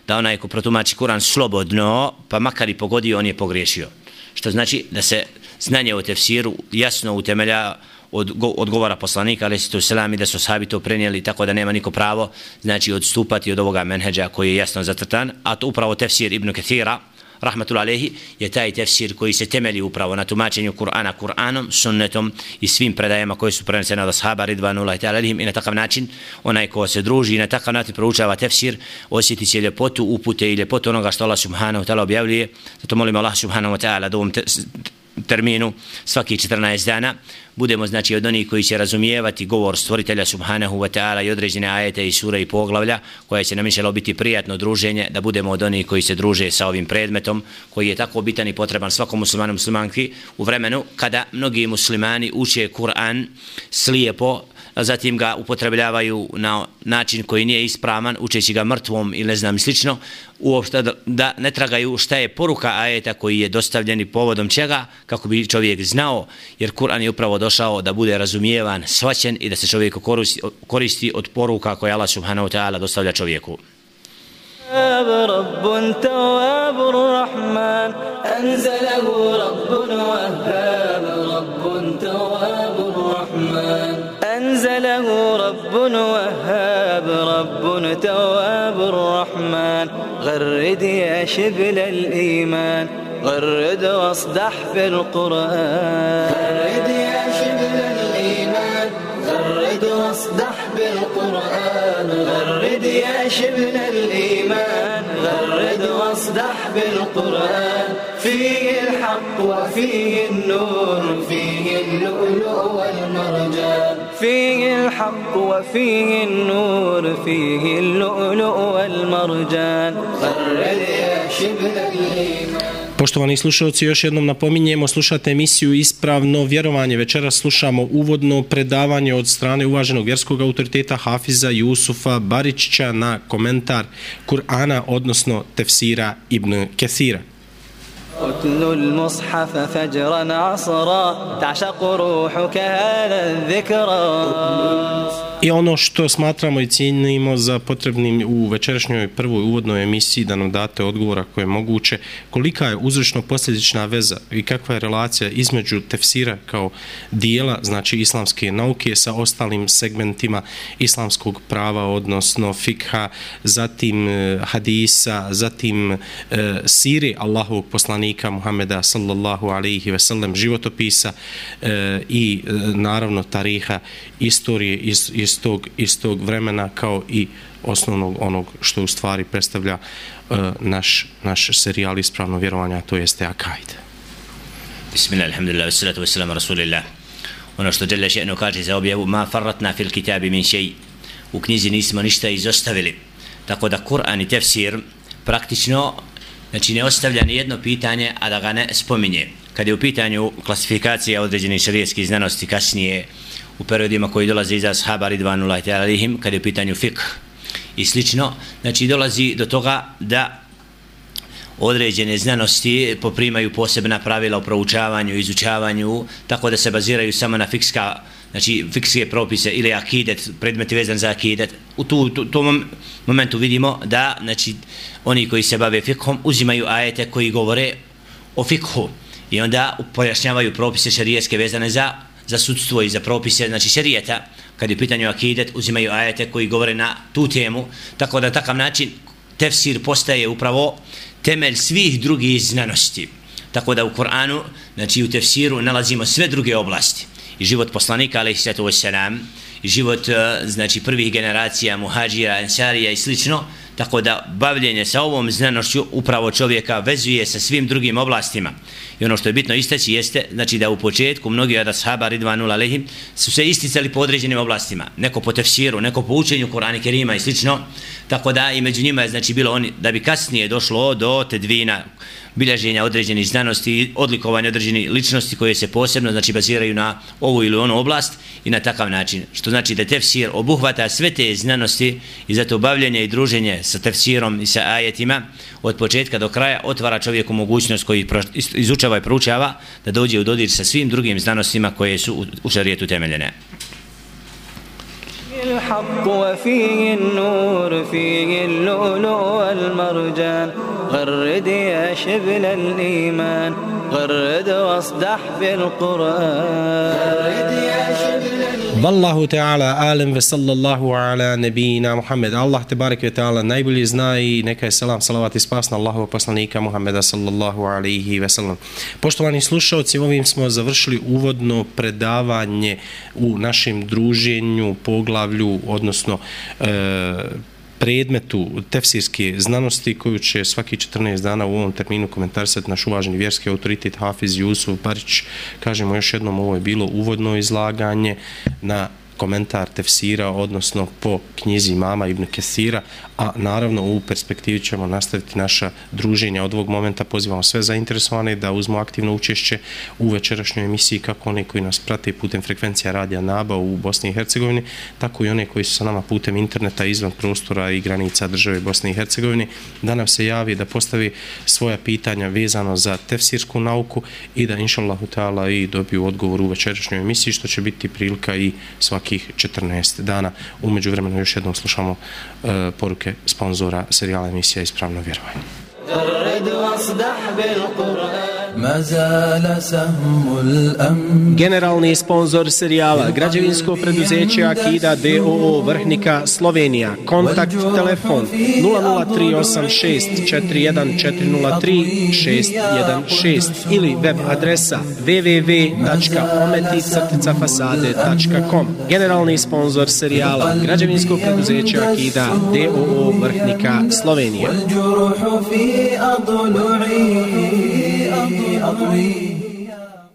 da onaj ko protumači Kur'an slobodno, pa makar i pogodio, on je pogriješio. Što znači da se znanje o tefsiru jasno utemelja od govora poslanika alejhi selam i da su ashabi to prenijeli, tako da nema niko pravo znači odstupati od ovoga menheđa koji je jasno zacrtan, a to upravo tefsir Ibn Kathira rahmetullahi alejhi je taj tefsir koji se temelji upravo na tumačenju Kur'ana Kur'anom, sunnetom i svim predajama koje su prenesene od ashaba ridvanullahi ta'ala alejhim, i na takav način onaj ko se druži i na takav način proučava tefsir osjeti će ljepotu upute i ljepotu onoga što Allah subhanahu wa ta'ala objavljuje. Zato molimo Allah subhanahu wa ta'ala da ovom terminu svaki 14 dana budemo znači od onih koji će razumijevati govor stvoritelja subhanahu wa ta'ala i određene ajete i sure i poglavlja koje će nam inšallah biti prijatno druženje, da budemo od onih koji se druže sa ovim predmetom koji je tako bitan i potreban svakom muslimanu muslimanki u vremenu kada mnogi muslimani uče Kur'an slijepo, a zatim ga upotrebljavaju na način koji nije ispravan, učeći ga mrtvom ili ne znam slično, uopšte da ne tragaju šta je poruka ajeta koji je dostavljeni povodom čega, kako bi čovjek znao, jer Kur'an je upravo došao da bude razumijevan, shvaćen i da se čovjek koristi od poruka koje Allah subhanahu wa ta'ala dostavlja čovjeku. رب تواب الرحمن أنزله رب وهاب رب تواب الرحمن أنزله رب وهاب رب تواب الرحمن غرد يا شبل الإيمان غرد واصدح في القرآن غرد يا شبل الإيمان غرد واصدح بالقرآن غرد يا شبل الإيمان غرد واصدح بالقرآن فيه الحق وفيه النور فيه اللؤلؤ والمرجان فيه الحق وفيه النور فيه اللؤلؤ والمرجان غرد يا شبل الإيمان. Poštovani slušalci, još jednom napominjemo, slušate emisiju Ispravno vjerovanje. Večeras slušamo uvodno predavanje od strane uvaženog vjerskog autoriteta Hafiza Jusufa Baričića na komentar Kur'ana, odnosno tefsira Ibn Kathira. اتلو المصحف فجرا عصرا تعشق روحك هذا الذكرى. I ono što smatramo i cijenimo za potrebnim u večerašnjoj prvoj uvodnoj emisiji da nam date odgovor ako je moguće, kolika je uzročno-posljedična veza i kakva je relacija između tefsira kao dijela, znači islamske nauke, sa ostalim segmentima islamskog prava, odnosno fikha, zatim hadisa, zatim siri Allahovog poslanika Muhameda sallallahu alejhi ve sellem, životopisa i naravno tariha, istorije iz tog vremena, kao i osnovnog onog što u stvari predstavlja naš serijal Ispravno vjerovanje, a to jeste akaid. Bismillah, alhamdulillah, wassalatu wassalamu rasulillah. Ono što Jalla še'nu kaže za objavu, ma farratna fil kitabi min šej, u knjizi nismo ništa izostavili. Tako da Kur'an i tefsir praktično znači ne ostavlja ni jedno pitanje, a da ga ne spominje. Kad je u pitanju klasifikacija određenih šerijatskih znanosti kasnije u periodima koji dolaze iza ashaba ridvanullahi ta'ala alejhim, kad je u pitanju fiqh, i slično, znači dolazi do toga da određene znanosti poprimaju posebna pravila u proučavanju, izučavanju, tako da se baziraju samo na fikske propise ili akidet, predmeti vezan za akidet. U tom momentu vidimo da znači, oni koji se bave fikhom uzimaju ajete koji govore o fikhu i onda pojašnjavaju propise šerijetske vezane za sudstvo i za propise, znači šerijeta. Kad je u pitanju akidet, uzimaju ajete koji govore na tu temu, tako da takav način tefsir postaje upravo temelj svih drugih znanosti. Tako da u Kur'anu, znači u tefsiru nalazimo sve druge oblasti. I život poslanika, alejhiselatu vesselam, i život znači prvih generacija muhadžira, ensarija i slično, tako da bavljenje sa ovom znanošću upravo čovjeka vezuje sa svim drugim oblastima. I ono što je bitno istaći jeste znači da u početku mnogi od ashaba ridvanul alejhim su se isticali po određenim oblastima, neko po tefsiru, neko po učenju Kur'ana Kerima i slično, tako da i među njima je znači bilo oni da bi kasnije došlo do tedvina, bilježenja određenih znanosti i odlikovanja određenih ličnosti koje se posebno znači baziraju na ovu ili onu oblast i na takav način, što znači da tefsir obuhvata sve te znanosti i zato bavljenje i druženje sa tefsirom i sa ajetima od početka do kraja otvara čovjeku mogućnost koji izučava i proučava da dođe u dodir sa svim drugim znanostima koje su u šerijetu temeljene. الحق وفيه النور فيه اللؤلؤ والمرجان غرد يا شبل الإيمان غرد واصدح بالقرآن غرد يا شبل Wallahu ta'ala alem ve sallallahu ala nebina Muhammed. Allah te barek ve ta'ala najbolje zna i neka je selam, salavat i spas na Allahovog poslanika Muhammeda sallallahu alaihi ve sallam. Poštovani slušalci, ovim smo završili uvodno predavanje u našem druženju, poglavlju, odnosno predmetu tefsirske znanosti koju će svaki 14 dana u ovom terminu komentarisati naš uvaženi vjerski autoritet Hafiz Jusuf Barić. Kažemo još jednom, ovo je bilo uvodno izlaganje na komentar tefsira, odnosno po knjizi Imama Ibn Kesira, a naravno u perspektivi ćemo nastaviti naša druženja. Od ovog momenta pozivamo sve zainteresovane da uzmu aktivno učešće u večerašnjoj emisiji, kako one koji nas prate putem frekvencija radija NABA u Bosni i Hercegovini, tako i one koji su sa nama putem interneta izvan prostora i granica države Bosne i Hercegovine, da nam se javi, da postavi svoja pitanja vezano za tefsirsku nauku i da inšallahu ta'ala i dobiju odgovor u večerašnjoj emisiji, što će biti prilika i svakih 14 dana. U međuvremenu još jednom slušamo poruke sponzora serijala emisija Ispravno vjerovanje. Generalni sponzor serijala građevinsko preduzeće Akida d.o.o. Vrhnika Slovenija. Kontakt telefon 0038641403616 ili web adresa www.ometi-fasade.com. Generalni sponzor serijala građevinsko preduzeće Akida d.o.o. Vrhnika Slovenija.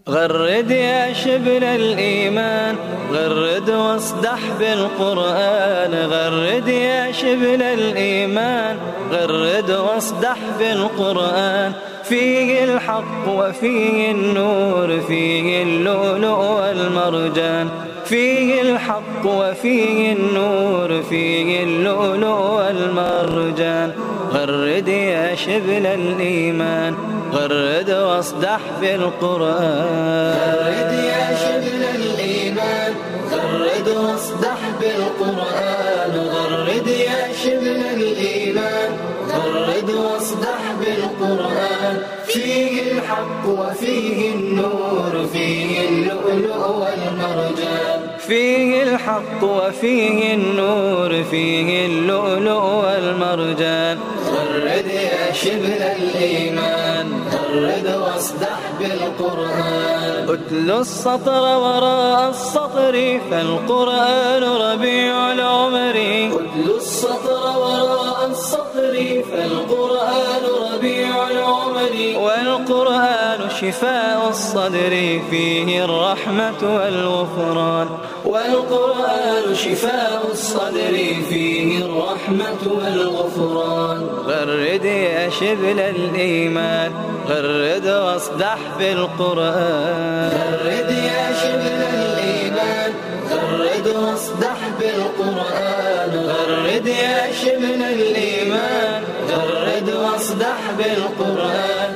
غرد يا شبل الإيمان غرد واصدح بالقرآن غرد يا شبل الإيمان غرد واصدح بالقرآن فيه الحق وفيه النور فيه اللؤلؤ والمرجان فيه الحق وفيه النور فيه اللؤلؤ والمرجان غرد يا شبل الإيمان غرد واصدح بالقرآن غرد يا شبل الإيمان غرد واصدح بالقرآن غرد يا شبل الإيمان غرد واصدح بالقرآن فيه الحق وفيه النور فيه اللؤلؤ والمرجان فيه الحق وفيه النور فيه اللؤلؤ والمرجان غرد يا شبل الإيمان غرد واصدح بالقرآن اتل السطر وراء السطر فالقرآن ربيع العمر اتل السطر وراء السطر فالقرآن ربيع العمر والقرآن شفاء الصدر فيه الرحمة والغفران والقرآن شفاء الصدر فيه الرحمة والغفران غرد يا شبل الإيمان غرد واصدح بالقرآن غرد يا شبل الإيمان غرد غرد واصدح بالقرآن غرد يا شبل الإيمان غرد واصدح بالقرآن.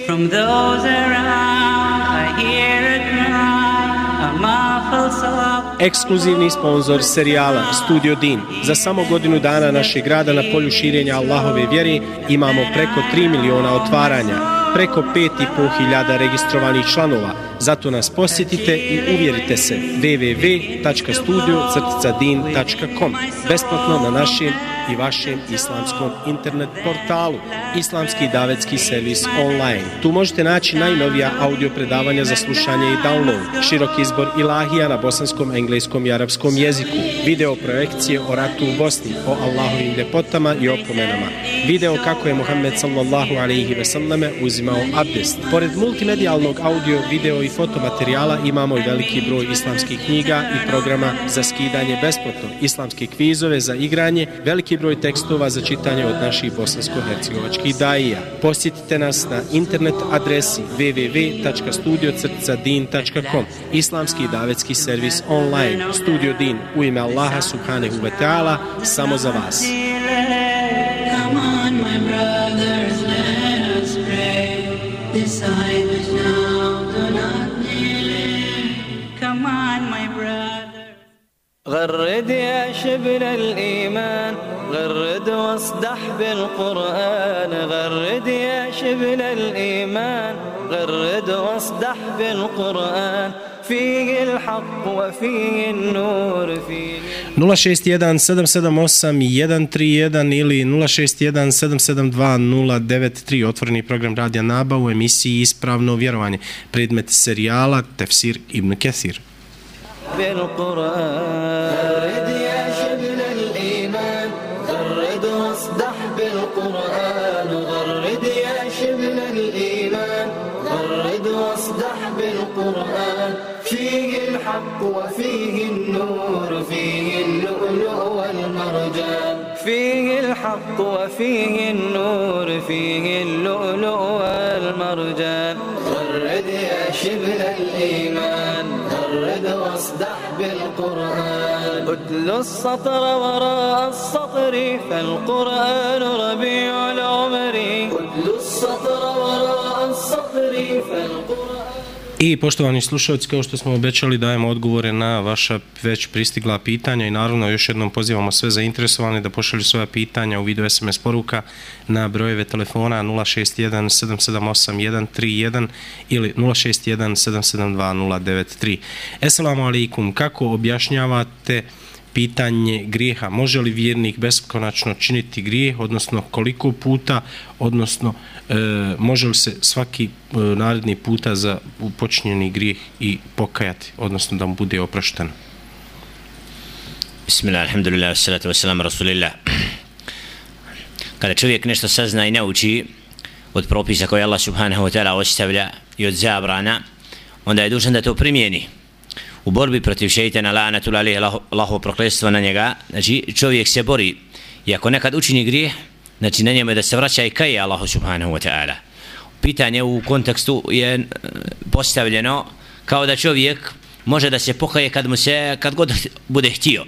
From those around I hear a cry, a muffled sob. Ekskluzivni sponsor serijala Studio Din. Za samo godinu dana našeg rada na polju širenja Allahove vjere imamo preko 3 miliona otvaranja, preko 5.500 registrovanih članova. Zato nas posjetite i uvjerite se www.studio-din.com besplatno na našem i vašem islamskom internet portalu. Islamski davetski servis online. Tu možete naći najnovija audio predavanja za slušanje i download, širok izbor ilahija na bosanskom, engleskom i arapskom jeziku, video projekcije o ratu u Bosni, o Allahovim ljepotama i opomenama, video kako je Muhammed sallallahu alejhi ve selleme uzimao abdest. Pored multimedijalnog audio, video i fotomaterijala imamo i veliki broj islamskih knjiga i programa za skidanje besplatno, islamske kvizove za igranje, veliki broj tekstova za čitanje od naših bosansko-hercegovačkih daija. Posjetite nas na internet adresi www.studio-din.com. Islamski davetski servis online. Studio Din u ime Allaha subhanahu wa ta'ala, samo za vas. Come on, my brothers, let us pray. Decide which now do not delay. Come on, my brothers. غرد يا شبل الإيمان غرد واصدح بالقرآن غرد يا شبل الإيمان غرد واصدح بالقرآن فيه الحق وفيه النور فيه 061-778-131 ili 061-772-093. Otvoreni program Radija Naba u emisiji Ispravno vjerovanje. Predmet serijala Tefsir Ibn Kesir. بالقرآن غرد يا شبل الإيمان غرد واصدح بالقرآن غرد يا شبل الإيمان غرد واصدح بالقرآن فيه الحق وفيه النور فيه اللؤلؤ والمرجان فيه الحق وفيه النور فيه اللؤلؤ والمرجان غرد يا شبل الإيمان غرد واصدح بالقرآن اتل السطر وراء السطر فالقرآن ربيع العمر اتل السطر وراء السطر فالقرآن. I poštovani slušalci, kao što smo obećali, dajemo odgovore na vaša već pristigla pitanja i naravno još jednom pozivamo sve zainteresovane da pošalju svoja pitanja u vidu SMS poruka na brojeve telefona 061-778-131 ili 061-772-093. Esselamu alaikum, kako objašnjavate pitanje grijeha? Može li vjernik beskonačno činiti grijeh, odnosno koliko puta, odnosno može li se svaki naredni puta za počinjeni grijeh i pokajati, odnosno da mu bude oprošteno? Bismillah, alhamdulillah, salatu wassalamu rasulillah. Kada čovjek nešto sazna i nauči od propisa koje Allah subhanahu wa ta'ala ostavlja i od zabrana, onda je dužan da to primijeni. U borbi protiv šeitana, la'natul alejhi, Allahovo prokletstvo na njega, znači čovjek se bori i ako nekad učini grijeh, znači na njemu je da se vraća i kaje Allahu subhanahu wa ta'ala. Pitanje u kontekstu je postavljeno kao da čovjek može da se pokaje kad god bude htio.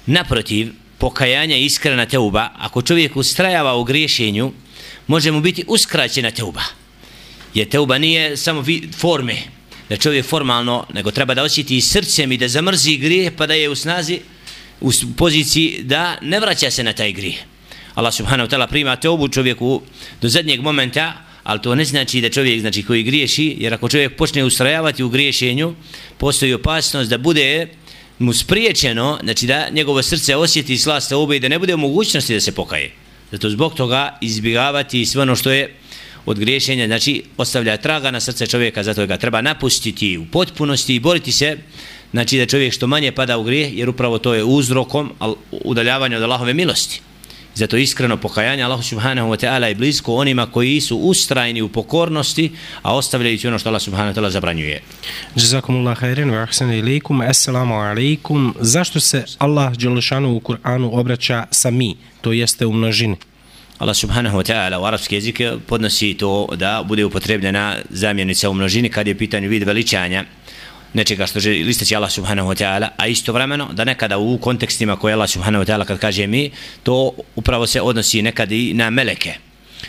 Naprotiv, pokajanje i iskrena teuba, ako čovjek ustrajava u griješenju, može mu biti uskraćena teuba. Jer teuba nije samo forme, da čovjek formalno, nego treba da osjeti i srcem i da zamrzi grijeh pa da je u snazi, u poziciji da ne vraća se na taj grijeh. Allah subhanahu wa ta'ala prima teubu čovjeku do zadnjeg momenta, ali to ne znači da čovjek znači koji griješi, jer ako čovjek počne ustrajavati u griješenju, postoji opasnost da bude mu spriječeno, znači da njegovo srce osjeti slast teube i da ne bude u mogućnosti da se pokaje. Zato zbog toga izbjegavati sve ono što je od griješenja, znači ostavlja traga na srce čovjeka, zato ga treba napustiti u potpunosti i boriti se, znači da čovjek što manje pada u grijeh, jer upravo to je uzrokom udaljavanja od Allahove milosti. Zato iskreno pokajanje Allahu subhanahu wa ta'ala je blisko onima koji su ustrajni u pokornosti, a ostavljajući ono što Allah subhanahu wa ta'ala zabranjuje. Jazakumullah khairan wa ahsana ilaykum. Assalamu alaikum. Zašto se Allah dželešanu u Kur'anu obraća sa mi, to jeste u množini? Allah subhanahu wa ta'ala u arapski jezik podnosi to da bude upotrebljena zamjenica u množini kad je pitanje vid veličanja. nečega što želi istaći Allah subhanahu wa ta'ala, a istovremeno da nekada u kontekstima koje Allah subhanahu wa ta'ala kad kaže mi, to upravo se odnosi nekad i na meleke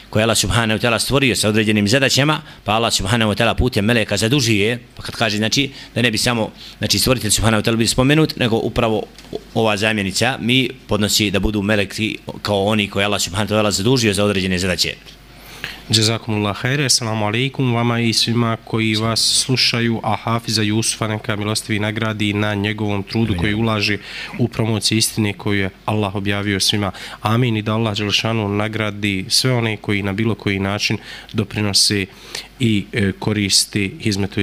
koje Allah subhanahu wa ta'ala stvorio sa određenim zadaćama, pa Allah subhanahu wa ta'ala putem meleka zadužuje, pa kad kaže znači da ne bi samo znači stvoritelj subhanahu wa ta'ala bi spomenut, nego upravo ova zamjenica mi podnosi da budu meleki kao oni koje Allah subhanahu wa ta'ala zadužio za određene zadaće. Jazakumullah khair, assalamu alaikum vama i svima koji vas slušaju, a Hafiza Jusufa neka milostivi nagradi na njegovom trudu koji ulaže u promociju istine koju je Allah objavio svima. Amin, i da Allah dželešanu nagradi sve one koji na bilo koji način doprinose i koristi hizmetu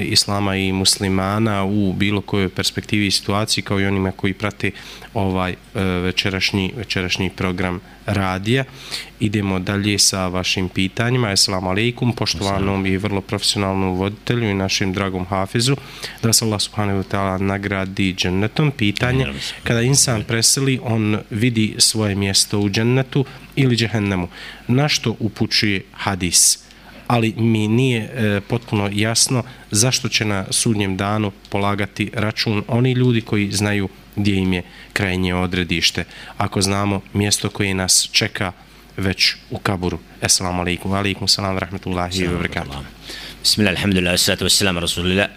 islama i muslimana u bilo kojoj perspektivi i situaciji, kao i onima koji prate ovaj večerašnji program radija. Idemo dalje sa vašim pitanjima. Assalamu alaikum, poštovanom i vrlo profesionalnom voditelju i našim dragom Hafizu, da vas Allah subhanahu wa ta'ala nagradi džennetom. Pitanje, kada insan preseli, on vidi svoje mjesto u džennetu ili džehennemu. Na što upućuje hadis? Ali mi nije potpuno jasno zašto će na sudnjem danu polagati račun oni ljudi koji znaju gdje im je krajnje odredište, ako znamo mjesto koje nas čeka već u kaburu. Assalamu alaikum, alaikum salam, rahmetullahi wa barakatuh. Bismillah, alhamdulillah, salatu wassalam, rasulillah.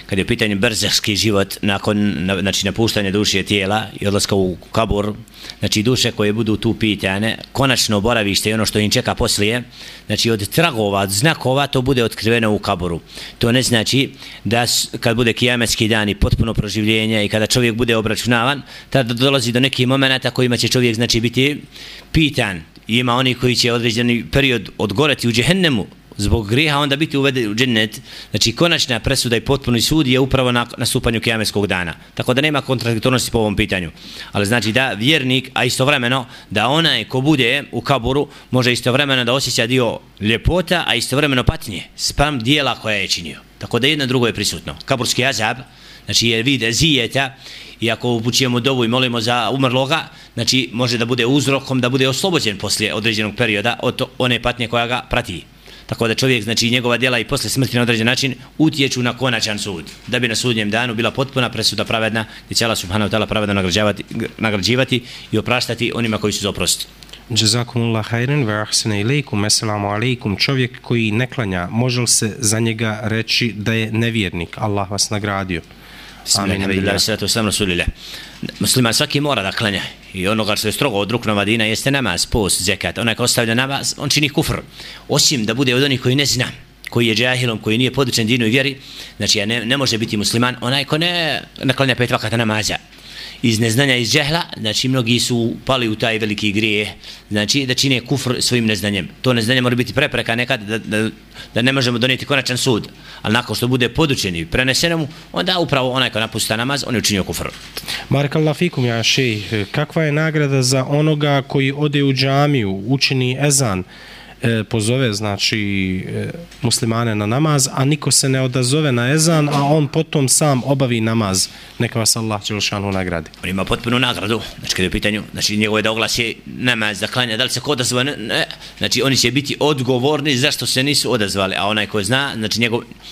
Kad je u pitanju berzahski život nakon znači napuštanja duše tijela i odlaska u kabur, znači duše koje budu tu pitane, konačno boravište i ono što im čeka poslije, znači od tragova, od znakova, to bude otkriveno u kaburu. To ne znači da kad bude kijametski dan i potpuno proživljenje i kada čovjek bude obračunavan, tada dolazi do nekih momenata kojima će čovjek znači biti pitan. I ima oni koji će određeni period odgoreti u džehennemu zbog grijeha, onda biti uveden u džennet. Znači konačna presuda i potpuni sud je upravo na nastupanju kijametskog dana. Tako da nema kontradiktornosti po ovom pitanju. Ali znači da vjernik, a istovremeno da onaj ko bude u kaburu može istovremeno da osjeća dio ljepota, a istovremeno patnje spram dijela koja je činio. Tako da jedno drugo je prisutno. Kaburski azab, znači je vid zijeta, i ako upućujemo dovu i molimo za umrloga, znači može da bude uzrokom da bude oslobođen poslije određenog perioda od one patnje koja ga prati. Tako da čovjek, znači njegova djela i posle smrti na određen način utječu na konačan sud, da bi na sudnjem danu bila potpuna presuda pravedna, gdje će Allah subhanahu wa ta'ala pravedno nagrađivati i opraštati onima koji su za oprost. Jazakumullah khairan wa ahsana ilaykum. Assalamu alaikum. Čovjek koji ne klanja, može li se za njega reći da je nevjernik? Allah vas nagradio. Bismillah, salatu wassalamu rasulillah. Musliman svaki mora da klanja i onoga što je strogo od ruknova dina jeste namaz, post, zekat. Onaj ko ostavlja namaz, on čini kufr. Osim da bude od onih koji ne zna, koji je džahilom, koji nije podučen dinu i vjeri, znači ne može biti musliman onaj ko ne klanja 5 vakata namaza. Iz neznanja, iz džehla, znači mnogi su pali u taj veliki grije, znači da čine kufr svojim neznanjem. To neznanje mora biti prepreka nekad da ne možemo donijeti konačan sud, ali nakon što bude podučen i preneseno mu, onda upravo onaj ko napusta namaz, on je učinio kufr. Barakallahu fikum ja šejh, kakva je nagrada za onoga koji ode u džamiju, učini ezan, pozove znači muslimane na namaz, a niko se ne odazove na ezan, a on potom sam obavi namaz, neka vas Allah dželešanu nagradi. On ima potpunu nagradu, znači kada je u pitanju, znači njegove da oglasi namaz, da klanja, da li se ko odazva, ne, znači oni će biti odgovorni zašto se nisu odazvali, a onaj ko zna, znači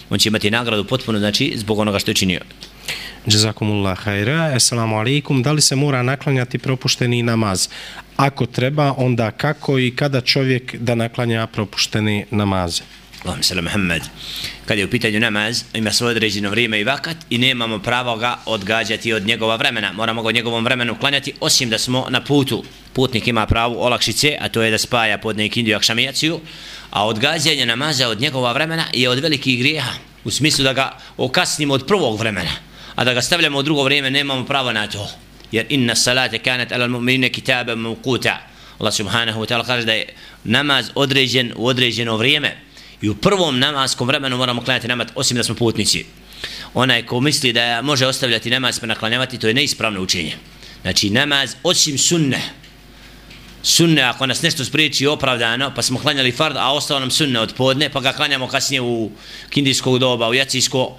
on će imati nagradu potpuno, znači zbog onoga što je činio. Jazakumullah khaira. Assalamu alaikum. Da li se mora naklanjati propušteni namaz? Ako treba, onda kako i kada čovjek da naklanja propušteni namaze? Allahumma salli Muhammad. Kad je u pitanju namaz, ima svoje određeno vrijeme i vakat i nemamo pravo ga odgađati od njegova vremena. Moramo ga od njegovom vremenu klanjati, osim da smo na putu. Putnik ima pravo olakšice, a to je da spaja podne ikindiju akšamijaciju, a odgađanje namaza od njegova vremena je od velikih grijeha, u smislu da ga okasnimo od prvog vremena, a da ga stavljamo u drugo vrijeme nemamo pravo na to. Jer inna salate kanat ala mu'minine kitaben mawquta. Allah subhanahu wa ta'ala kaže da je namaz određen u određeno vrijeme i u prvom namaskom vremenu moramo klanjati namaz, osim da smo putnici. Onaj ko misli da može ostavljati namaz pa naklanjavati, to je neispravno učenje. Znači namaz osim sunne, ako nas nešto spriječi opravdano, pa smo klanjali fard, a ostao nam sunne od podne, pa ga klanjamo kasnije u kindijskog doba, u jacijsko,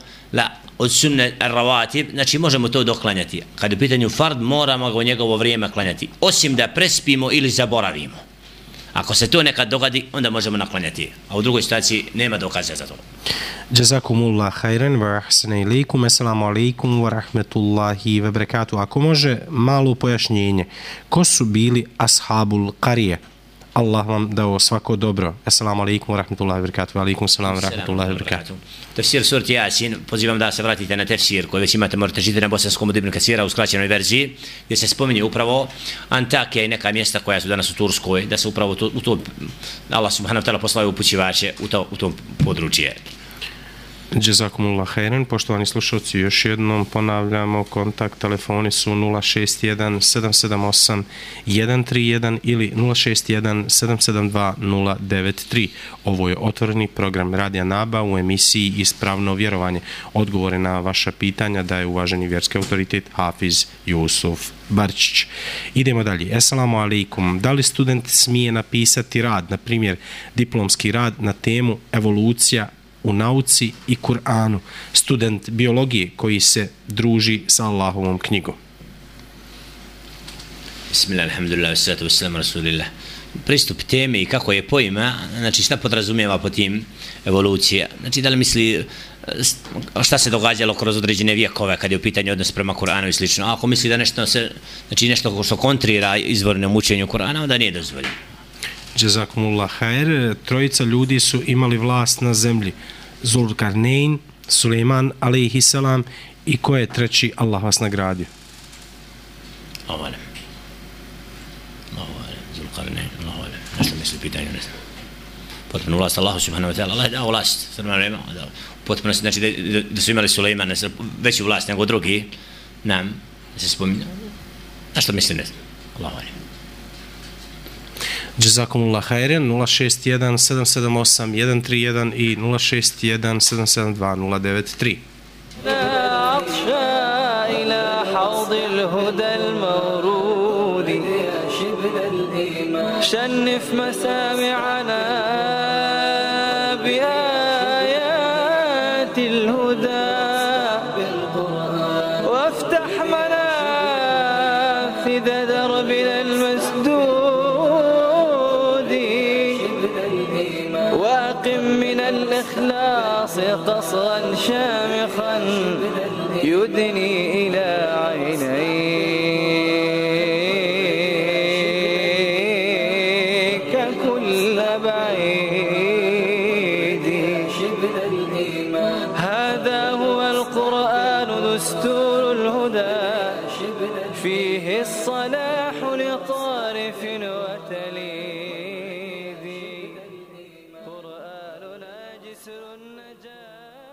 od sunne rawatib, znači možemo to doklanjati. Kad je u pitanju fard, moramo ga u njegovo vrijeme klanjati, osim da prespimo ili zaboravimo. Ako se to nekad dogodi, onda možemo naklanjati, a u drugoj situaciji nema dokaza za to. Jazakumullah khairan wa ahsana ilaykum. Assalamu alaikum wa rahmetullahi wa barakatuh. Ako može malo pojašnjenje, ko su bili ashabul qarije? Allah vam dao svako dobro. Assalamu alaikum wa rahmetullahi wa barakatuh. Wa alaikum salam wa rahmetullahi wa barakatuh. Tefsir surati Jasin, pozivam da se vratite na tefsir koji već imate, možete žiti na bosanskom od Ibn Kasira u skraćenoj verziji, gdje se spominje upravo Antakija i neka mjesta koja su danas u Turskoj, da se upravo u to Allah subhanahu wa ta'ala poslao upućivače u tom područje. Jazakumullah khairan. Poštovani slušalci, još jednom ponavljamo, kontakt telefoni su 061 778 131 ili 061 772 093. Ovo je otvoreni program Radija Naba u emisiji Ispravno vjerovanje. Odgovore na vaša pitanja daje uvaženi vjerski autoritet Hafiz Jusuf Barčić. Idemo dalje. Assalamu alaikum. Da li student smije napisati rad, na primjer diplomski rad na temu evolucija u nauci i Kur'anu, student biologije koji se druži sa Allahovom knjigom? Bismillah, alhamdulillah, wassalatu wassalamu rasulillah. Pristup teme i kako je pojma, znači šta podrazumijeva po tim evolucija? Znači da li misli šta se događalo kroz određene vjekove kad je u pitanju odnos prema Kur'anu i slično? Ako misli da nešto se, znači nešto što kontrira izvornom učenju Kur'ana, onda nije dozvoljeno. Jazakumullah khair. Trojica ljudi su imali vlast na zemlji. Zulkarnein, Suleiman alejhiselam i ko je treći? Allah vas nagradio. Ovale. Zulkarnein, ovale. Nešto misli pitanje, ne znam. Potpuno vlast Allahu subhanahu wa ta'ala. Allah je dao vlast. Potpuno znači da su imali Suleiman veću vlast nego drugi. Nam se spominja. A što misli, ne znam. Allah ovale. Jazakumullah khairan. 061 778 131 i 061 772 093. إلى حوض الهدى المورود شنف مسامعنا بآيات الهدى وافتح منافذ دربنا المسدود واقم من الإخلاص قصرا شامخا يدني إلى عينيك كل بعيد هذا هو القرآن دستور الهدى فيه الصلاح لطارف وتليد قرآننا جسر النجاة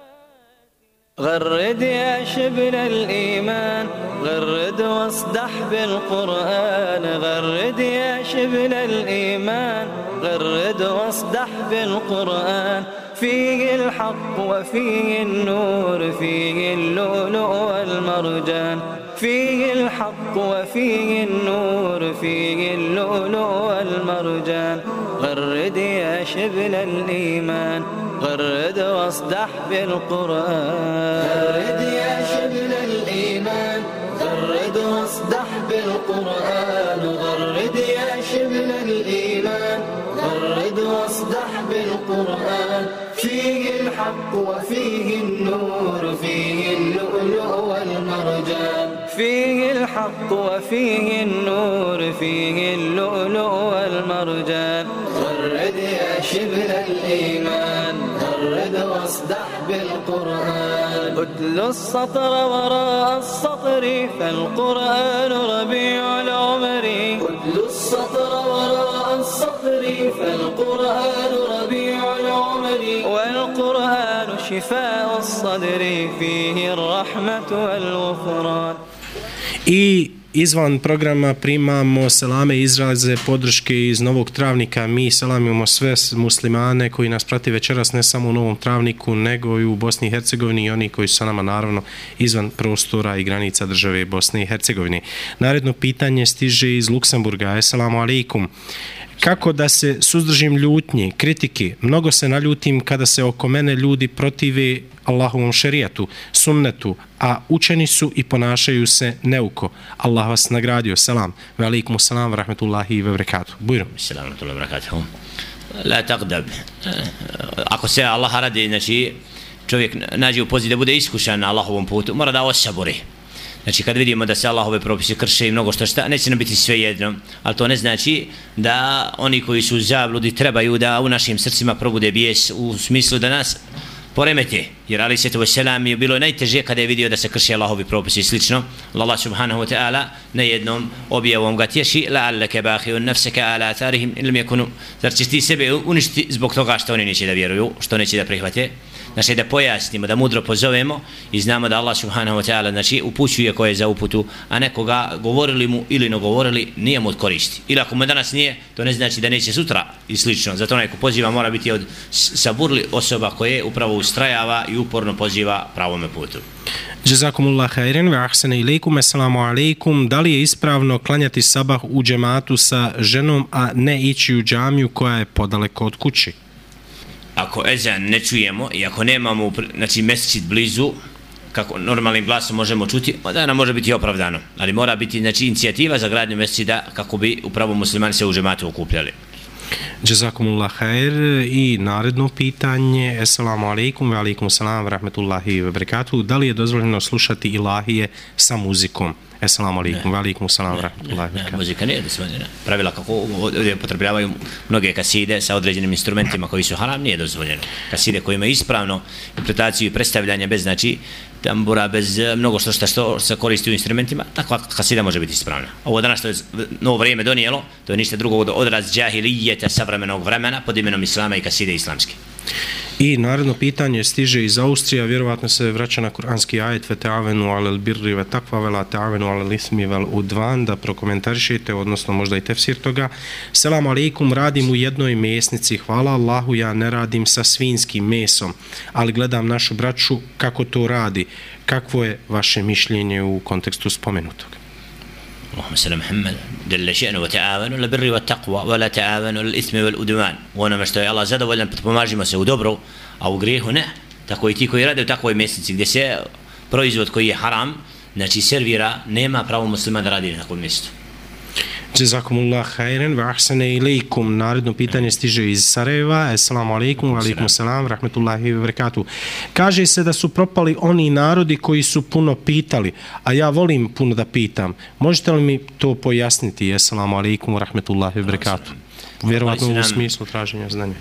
غرد يا شبل الإيمان غرد واصدح بالقرآن غرد يا شبل الإيمان غرد واصدح بالقرآن فيه الحق وفيه النور فيه اللؤلؤ والمرجان فيه الحق وفيه النور فيه اللؤلؤ والمرجان غرد يا شبل الإيمان غرد واصدح بالقرآن غرد يا شبل الإيمان غرد واصدح بالقرآن غرد يا شبل الإيمان غرد واصدح بالقرآن فيه الحق وفيه النور فيه اللؤلؤ والمرجان فيه الحق وفيه النور فيه اللؤلؤ والمرجان غرد يا شبل الإيمان غرد واصدح بالقرآن اتل السطر وراء السطر فالقرآن ربيع العمر اتل السطر وراء السطر فالقرآن ربيع العمر والقرآن شفاء الصدر فيه الرحمة والغفران. I izvan programa primamo selame izraze podrške iz Novog Travnika. Mi selamimo sve muslimane koji nas prati večeras ne samo u Novom Travniku nego i u Bosni i Hercegovini i oni koji su sa nama naravno izvan prostora i granica države Bosne i Hercegovine. Naredno pitanje stiže iz Luksemburga. Assalamu alaikum. Kako da se suzdržim ljutnje, kritike? Mnogo se naljutim kada se oko mene ljudi protive Allahovom šerijatu, sunnetu, a učeni su i ponašaju se neuko. Allah vas nagradio. Selam. Wa alaikum salam wa rahmetullahi wa barakatuh. Bujro. Selam wa rahmetullahi wa barakatuh. La taqdab. Ako se Allah radi, znači čovjek nađe u poziciji da bude iskušan na Allahovom putu, mora da osabori. Znači kad vidimo da se Allahove propise krše i mnogo šta, neće nam biti sve jedno, ali to ne znači da oni koji su u zabludi trebaju da u našim srcima probude bijes u smislu da nas poremete, jer Ali Svetu Veselam je bilo najteže kada je vidio da se krše Allahovi propisi i slično. Allah subhanahu wa ta'ala na jednom objavom ga tješi la'allaka bakhiyun nafsaka ala atharihim in lam yakunu, zar ćeš ti sebe uništiti zbog toga što oni neće da vjeruju, što neće da prihvate. Znači da pojasnimo, da mudro pozovemo i znamo da Allah subhanahu wa ta'ala znači upućuje ko je za uputu, a nekoga govorili mu ili ne govorili nije mu od koristi. Ili ako mu danas nije, to ne znači da neće sutra i slično. Zato onaj ko poziva mora biti od saburli osoba koje upravo ustrajava i uporno poziva pravome putu. Jazakumullah khairan wa ahsana ilaykum. Assalamu alaikum. Da li je ispravno klanjati sabah u džematu sa ženom, a ne ići u džamiju koja je podaleko od kući? Ako ezan ne čujemo i ako nemamo znači mesdžid blizu, kako normalnim glasom možemo čuti, onda nam može biti opravdano, ali mora biti znači inicijativa za gradnju mesdžida kako bi upravo muslimani se u džematu okupljali. Jazakumullah khair. I naredno pitanje. Assalamu alaikum wa alaikum salam wa rahmetullahi wa barakatuh. Da li je dozvoljeno slušati ilahije sa muzikom? Assalamu alaikum wa alaikum salam wa rahmetullahi wa barakatuh. Muzika nije dozvoljena. Pravila kako ovdje potrebljavaju mnoge kaside sa određenim instrumentima koji su haram, nije dozvoljeno. Kaside koje imaju ispravno interpretaciju i predstavljanje bez znači tambura, bez mnogo što se koristi u instrumentima, takva kasida može biti ispravna. Ovo danas što je novo vrijeme donijelo, to je ništa drugo od odraz džahilijeta savremenog vremena pod imenom islama i kaside islamske. I naredno pitanje stiže iz Austrija, vjerovatno se vraća na kuranski ajet ve ta'avenu alel birri ve takva ve la ta'avenu alel ismi vel udvan, da prokomentarišete, odnosno možda i tefsir toga. Selamu alaikum, radim u jednoj mesnici, hvala Allahu, ja ne radim sa svinskim mesom, ali gledam našu braću kako to radi. Kakvo je vaše mišljenje u kontekstu spomenutog? اللهم صل محمد جل شأنه وتعاونوا على البر والتقوى ولا تعاونوا على الإثم والعدوان. Ono što je Allah zadovoljan, pomažimo se u dobru, a u grijehu ne. Tako i ti koji rade u takvoj mesnici gdje se proizvod koji je haram, znači servira, nema pravo muslima da radi na takvom mjestu. Jazakumullah khairan wa ahsana ilaykum. Naredno pitanje stiže iz Sarajeva. Assalamu alaikum wa alaikum salam rahmetullahi wa barakatuh. Kaže se da su propali oni narodi koji su puno pitali, a ja volim puno da pitam. Možete li mi to pojasniti? Assalamu alaikum wa rahmetullahi wa barakatuh. Vjerovatno u smislu traženja znanja.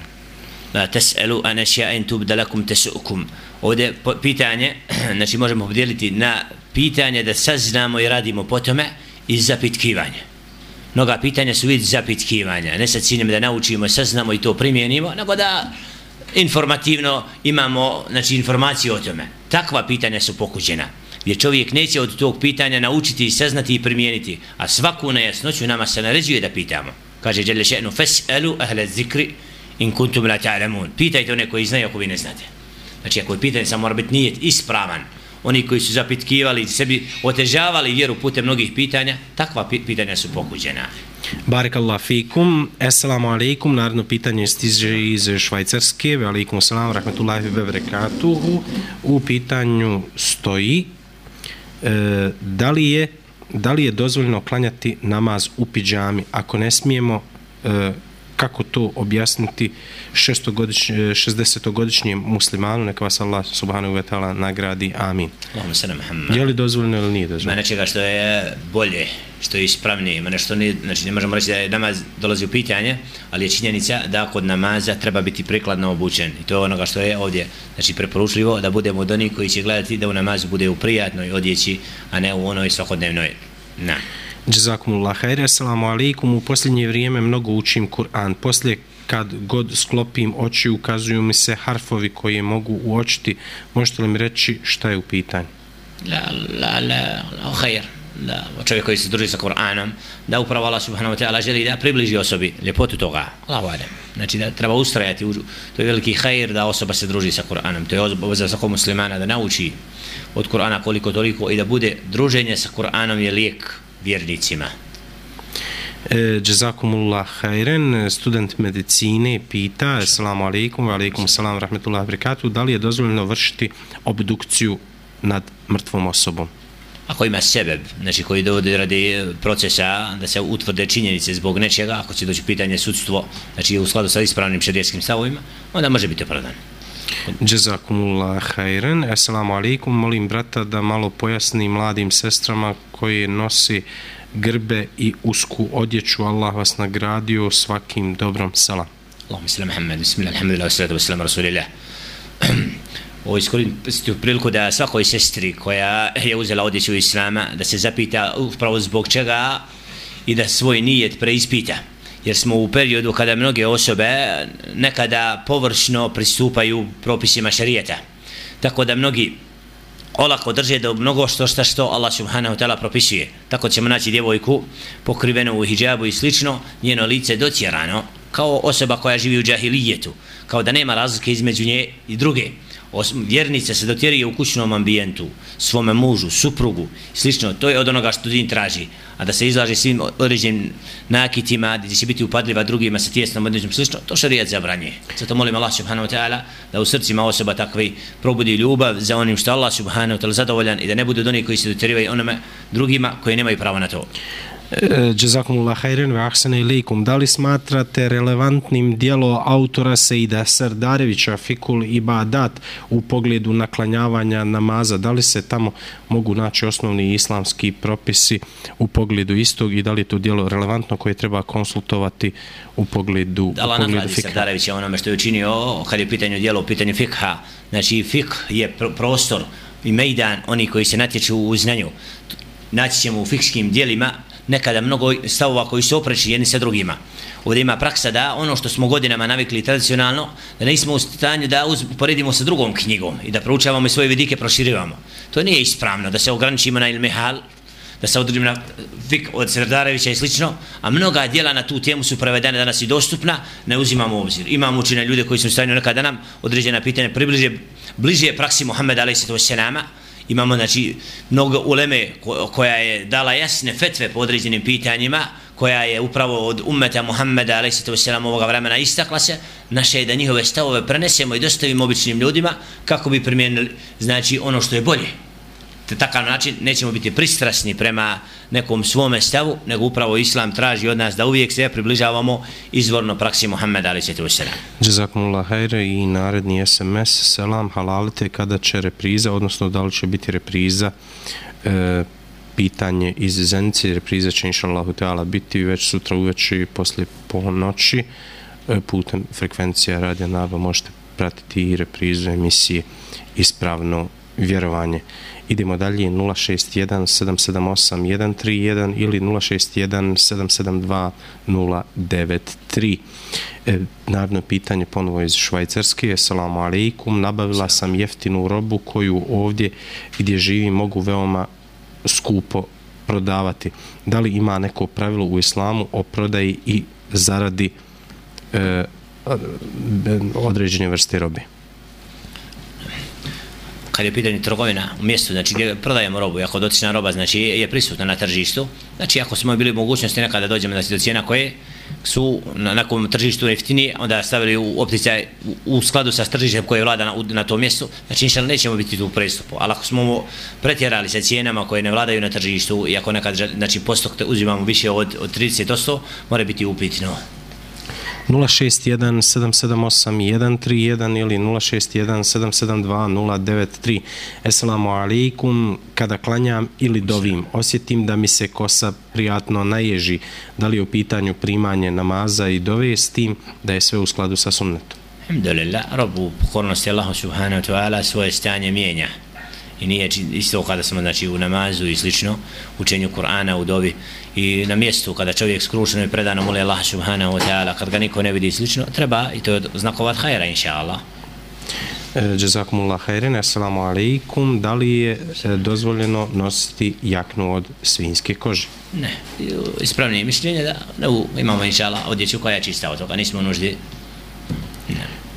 La tas'alu an ashiya'in tubda lakum tasu'kum. Ovdje pitanje, znači možemo podijeliti na pitanje da saznamo i radimo po tome i zapitkivanje. Mnoga pitanja su vid zapitkivanja, ne sa ciljem da naučimo, saznamo i to primijenimo, nego da informativno imamo znači, informaciju o tome. Takva pitanja su pokuđena, gdje čovjek neće od tog pitanja naučiti i saznati i primijeniti, a svaku nejasnoću nama se naređuje da pitamo. Kaže Jelle še'nu, fas'alu ahle zikri in kuntum la ta'lamun. Pitajte one koji znaju ako vi ne znate. Znači ako je pitanje samo mora biti nijet ispravan, oni koji su zapitkivali, sebi otežavali vjeru putem mnogih pitanja, takva pitanja su pokuđena. Barakallahu fikum. Assalamu alaikum. Naredno pitanje stiže iz Švajcarske. Ve alaikum salam rahmetullahi ve barakatuhu. U pitanju stoji da li je dozvoljeno klanjati namaz u pidžami? Ako ne smijemo, kako to objasniti 60-godišnjem muslimanu, neka vas Allah subhanahu wa ta'ala nagradi, amin. Je li dozvoljeno ili nije dozvoljeno? Ma nečega što je bolje, što je ispravnije, ima nešto nije, znači ne možemo reći da je namaz dolazi u pitanje, ali je činjenica da kod namaza treba biti prikladno obučen. I to je onoga što je ovdje, znači preporučljivo da budemo od onih koji će gledati da u namazu bude u prijatnoj odjeći, a ne u onoj svakodnevnoj. Na. Jazakumullah khair. Assalamu alaikum. U posljednje vrijeme mnogo učim Kur'an. Poslije kad god sklopim oči ukazuju mi se harfovi koje mogu uočiti. Možete li mi reći šta je u pitanju? La, khair. Da, čovjek koji se druži sa Kur'anom, da upravo Allah subhanahu wa ta'ala želi da približi osobi ljepotu toga. Allahu alem. Znači da treba ustrajati, to je veliki khair da osoba se druži sa Kur'anom. To je obaveza svakog muslimana da nauči od Kur'ana koliko toliko i da bude druženje sa Kur'anom je lijek vjernicima. Jazakumullah khairan. Student medicine pita, assalamu alaikum wa alaikum salam rahmetullahi wa barakatuh, da li je dozvoljeno vršiti obdukciju nad mrtvom osobom? Ako ima sebeb, znači koji dovodi radi procesa da se utvrde činjenice zbog nečega, ako će doći pitanje sudstvo, znači u skladu sa ispravnim šerijskim stavovima, onda može biti opravdan. Džezakumullah hajren. Assalamu alaikum. Molim brata da malo pojasni mladim sestrama koje nosi grbe i usku odjeću. Allah vas nagradio svakim dobrom. Salam. Allahumma salli Muhammed. Bismillah, alhamdulillah, wassalatu wassalamu rasulillah. Ovo iskoristiti priliku da svakoj sestri koja je uzela odjeću Islama da se zapita upravo zbog čega i da svoj nijet preispita. Jer smo u periodu kada mnoge osobe nekada površno pristupaju propisima šerijeta. Tako da mnogi olako drže da mnogo što Allah subhanahu ta'ala propisuje. Tako ćemo naći djevojku pokrivenu u hijabu i slično, njeno lice docjerano, kao osoba koja živi u džahilijetu, kao da nema razlike između nje i druge. Vjernica se dotjeruje u kućnom ambijentu, svome mužu, suprugu, slično, to je od onoga što din traži, a da se izlaže svim određenim nakitima, gdje će biti upadljiva drugima sa tijesnom određenom slično, to šerijat zabranjuje. Zato molim Allah subhanahu wa ta'ala da u srcima osoba takvi probudi ljubav za onim što Allah subhanahu wa ta'ala zadovoljan i da ne budu od onih koji se dotjerivaju onome drugima koji nemaju pravo na to. Džezakumullah hajren ve ahsene ilejkum. Da li smatrate relevantnim djelo autora Seida Serdarevića Fikul Ibadat u pogledu naklanjavanja namaza? Da li se tamo mogu naći osnovni islamski propisi u pogledu istog i da li je to djelo relevantno koje treba konsultovati u pogledu fikha? Allah nagradi Serdarevića onome što je učinio kad je pitanje djelo u pitanju fikha. Znači fikh je prostor i mejdan oni koji se natječu u znanju. Naći ćemo u fikskim djelima nekada mnogo stavova koji su opreči jedni sa drugima. Ovdje ima praksa da ono što smo godinama navikli tradicionalno, da nismo u stanju da poredimo sa drugom knjigom i da proučavamo i svoje vidike proširivamo. To nije ispravno, da se ograničimo na ilmihal, da se odredimo na fik od Serdarevića i slično, a mnoga djela na tu temu su prevedene danas i dostupna, ne uzimamo u obzir. Imamo učine ljude koji su u stanju nekada nam određena pitanja bliže praksi Muhammeda a.s. Imamo znači mnogo uleme koja je dala jasne fetve po određenim pitanjima, koja je upravo od ummeta Muhammeda a.s. ovoga vremena istakla se. Naše je da njihove stavove prenesemo i dostavimo običnim ljudima kako bi primijenili znači ono što je bolje. Te takav način nećemo biti pristrasni prema nekom svome stavu, nego upravo Islam traži od nas da uvijek se približavamo izvorno praksi Muhammeda a.s. Džezakumullah hajre i naredni SMS. Selam, halalite kada će repriza, odnosno da li će biti repriza, pitanje iz Zenice. Repriza će inšallahu teala biti već sutra uveče poslije ponoći putem frekvencija Radija Naba. Možete pratiti i reprizu emisije Ispravno vjerovanje. Idemo dalje, 061 778 131 ili 061 772 093. Naredno pitanje ponovo iz Švajcarske. Assalamu alaikum. Nabavila sam jeftinu robu koju ovdje gdje živim mogu veoma skupo prodavati. Da li ima neko pravilo u islamu o prodaji i zaradi određene vrste robe? Kad je pitanje trgovina u mjestu, znači gdje prodajemo robu, ako dotična roba znači je prisutna na tržištu, znači ako smo bili mogućnosti nekada dođemo znači, do cijena koje su na nekom tržištu jeftinije, onda stavili u opticaj u skladu sa tržištem koje vlada na tom mjestu, znači inšal nećemo biti tu u prestupu, ali ako smo pretjerali sa cijenama koje ne vladaju na tržištu i ako nekad znači postok uzimamo više od 30%, mora biti upitno. 061 778 131 ili 061 772 093. Assalamu alaikum. Kada klanjam ili dovim, osjetim da mi se kosa prijatno naježi. Da li je u pitanju primanje namaza i dove s tim da je sve u skladu sa sunnetom? Alhamdulillah, robu pokornosti Allahu subhanahu wa ta'ala svoje stanje mijenja. I nije isto kada smo znači, u namazu i slično, učenju Kur'ana u dovi i na mjestu kada čovjek skrušeno i predano moli Allah subhanahu wa ta'ala, kad ga niko ne vidi i slično, treba i to je znakovat hajra inša Allah. Džezakumullah hajren, assalamu alaikum. Da li je dozvoljeno nositi jaknu od svinjske kože? Ne, ispravnije mišljenje da imamo inša Allah odjeću koja je čista od toga, nismo nuždi.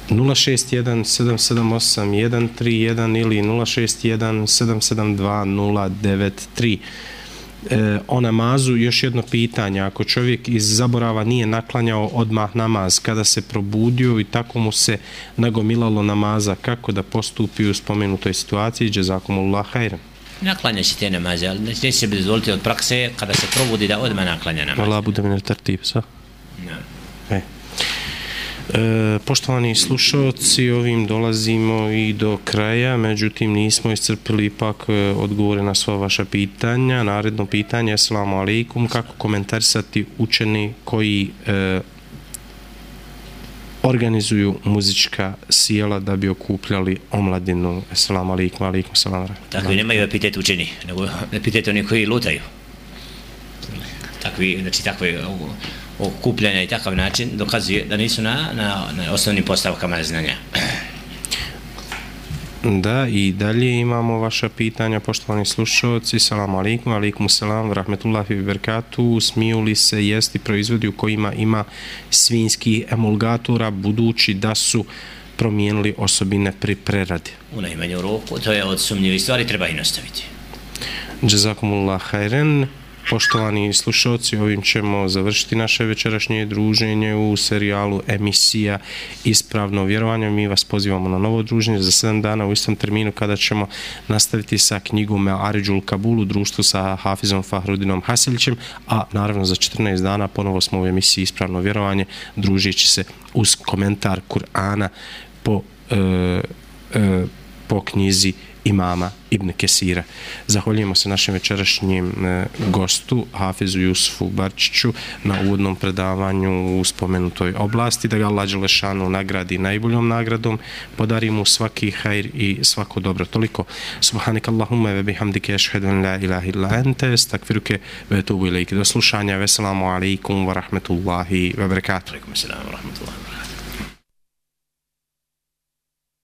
061 778 131 ili 061 772 093. O namazu još jedno pitanje. Ako čovjek iz zaborava nije naklanjao odmah namaz, kada se probudio i tako mu se nagomilalo namaza, kako da postupi u spomenutoj situaciji? Džezakumullah hajran. Naklanja se te namaze, ali neće se dozvoliti od prakse kada se probudi da odmah naklanja namaz. Allah bude mi tartib, sa? No. Poštovani slušalci, ovim dolazimo i do kraja, međutim nismo iscrpili ipak odgovore na sva vaša pitanja. Naredno pitanje, assalamu alaikum, kako komentarisati učeni koji organizuju muzička sjela da bi okupljali omladinu? Assalamu alaikum, alaikum salam. Takvi nemaju epitet učeni, nego epitet oni koji lutaju. Takvi, znači takve okupljanja i takav način dokazuje da nisu na osnovnim postavkama znanja. Da, i dalje imamo vaša pitanja, poštovani slušalci. Salamu alaikum, alaikum salam, rahmetullahi wa barakatuh. Smiju li se jesti proizvodi u kojima ima svinjskih emulgatora, budući da su promijenili osobine pri preradi? U najmanju roku, to je od sumnjivih stvari, treba i nastaviti. Jazakumullah khairan. Poštovani slušalci, ovim ćemo završiti naše večerašnje druženje u serijalu emisija Ispravno vjerovanje. Mi vas pozivamo na novo druženje za 7 dana u istom terminu kada ćemo nastaviti sa knjigom Aridžul Kabul u društvu sa Hafizom Fahrudinom Hasilićem, a naravno za 14 dana ponovo smo u emisiji Ispravno vjerovanje, družeći se uz komentar Kur'ana po knjizi imama Ibn Kesira. Zahvaljujemo se našem večerašnjem gostu, Hafizu Jusufu Barčiću, na uvodnom predavanju u spomenutoj oblasti, da ga Allah dželešanu nagradi najboljom nagradom, podari mu svaki hajr i svako dobro. Toliko. Subhanak Allahumma ve bihamdike, ašhedu an la ilaha illa ente, estakfiruke ve etubu ilejke. Do slušanja. Veselamu alaikum wa rahmetullahi wa barakatuh. Alaikum assalam wa rahmetullahi wa barakatuh.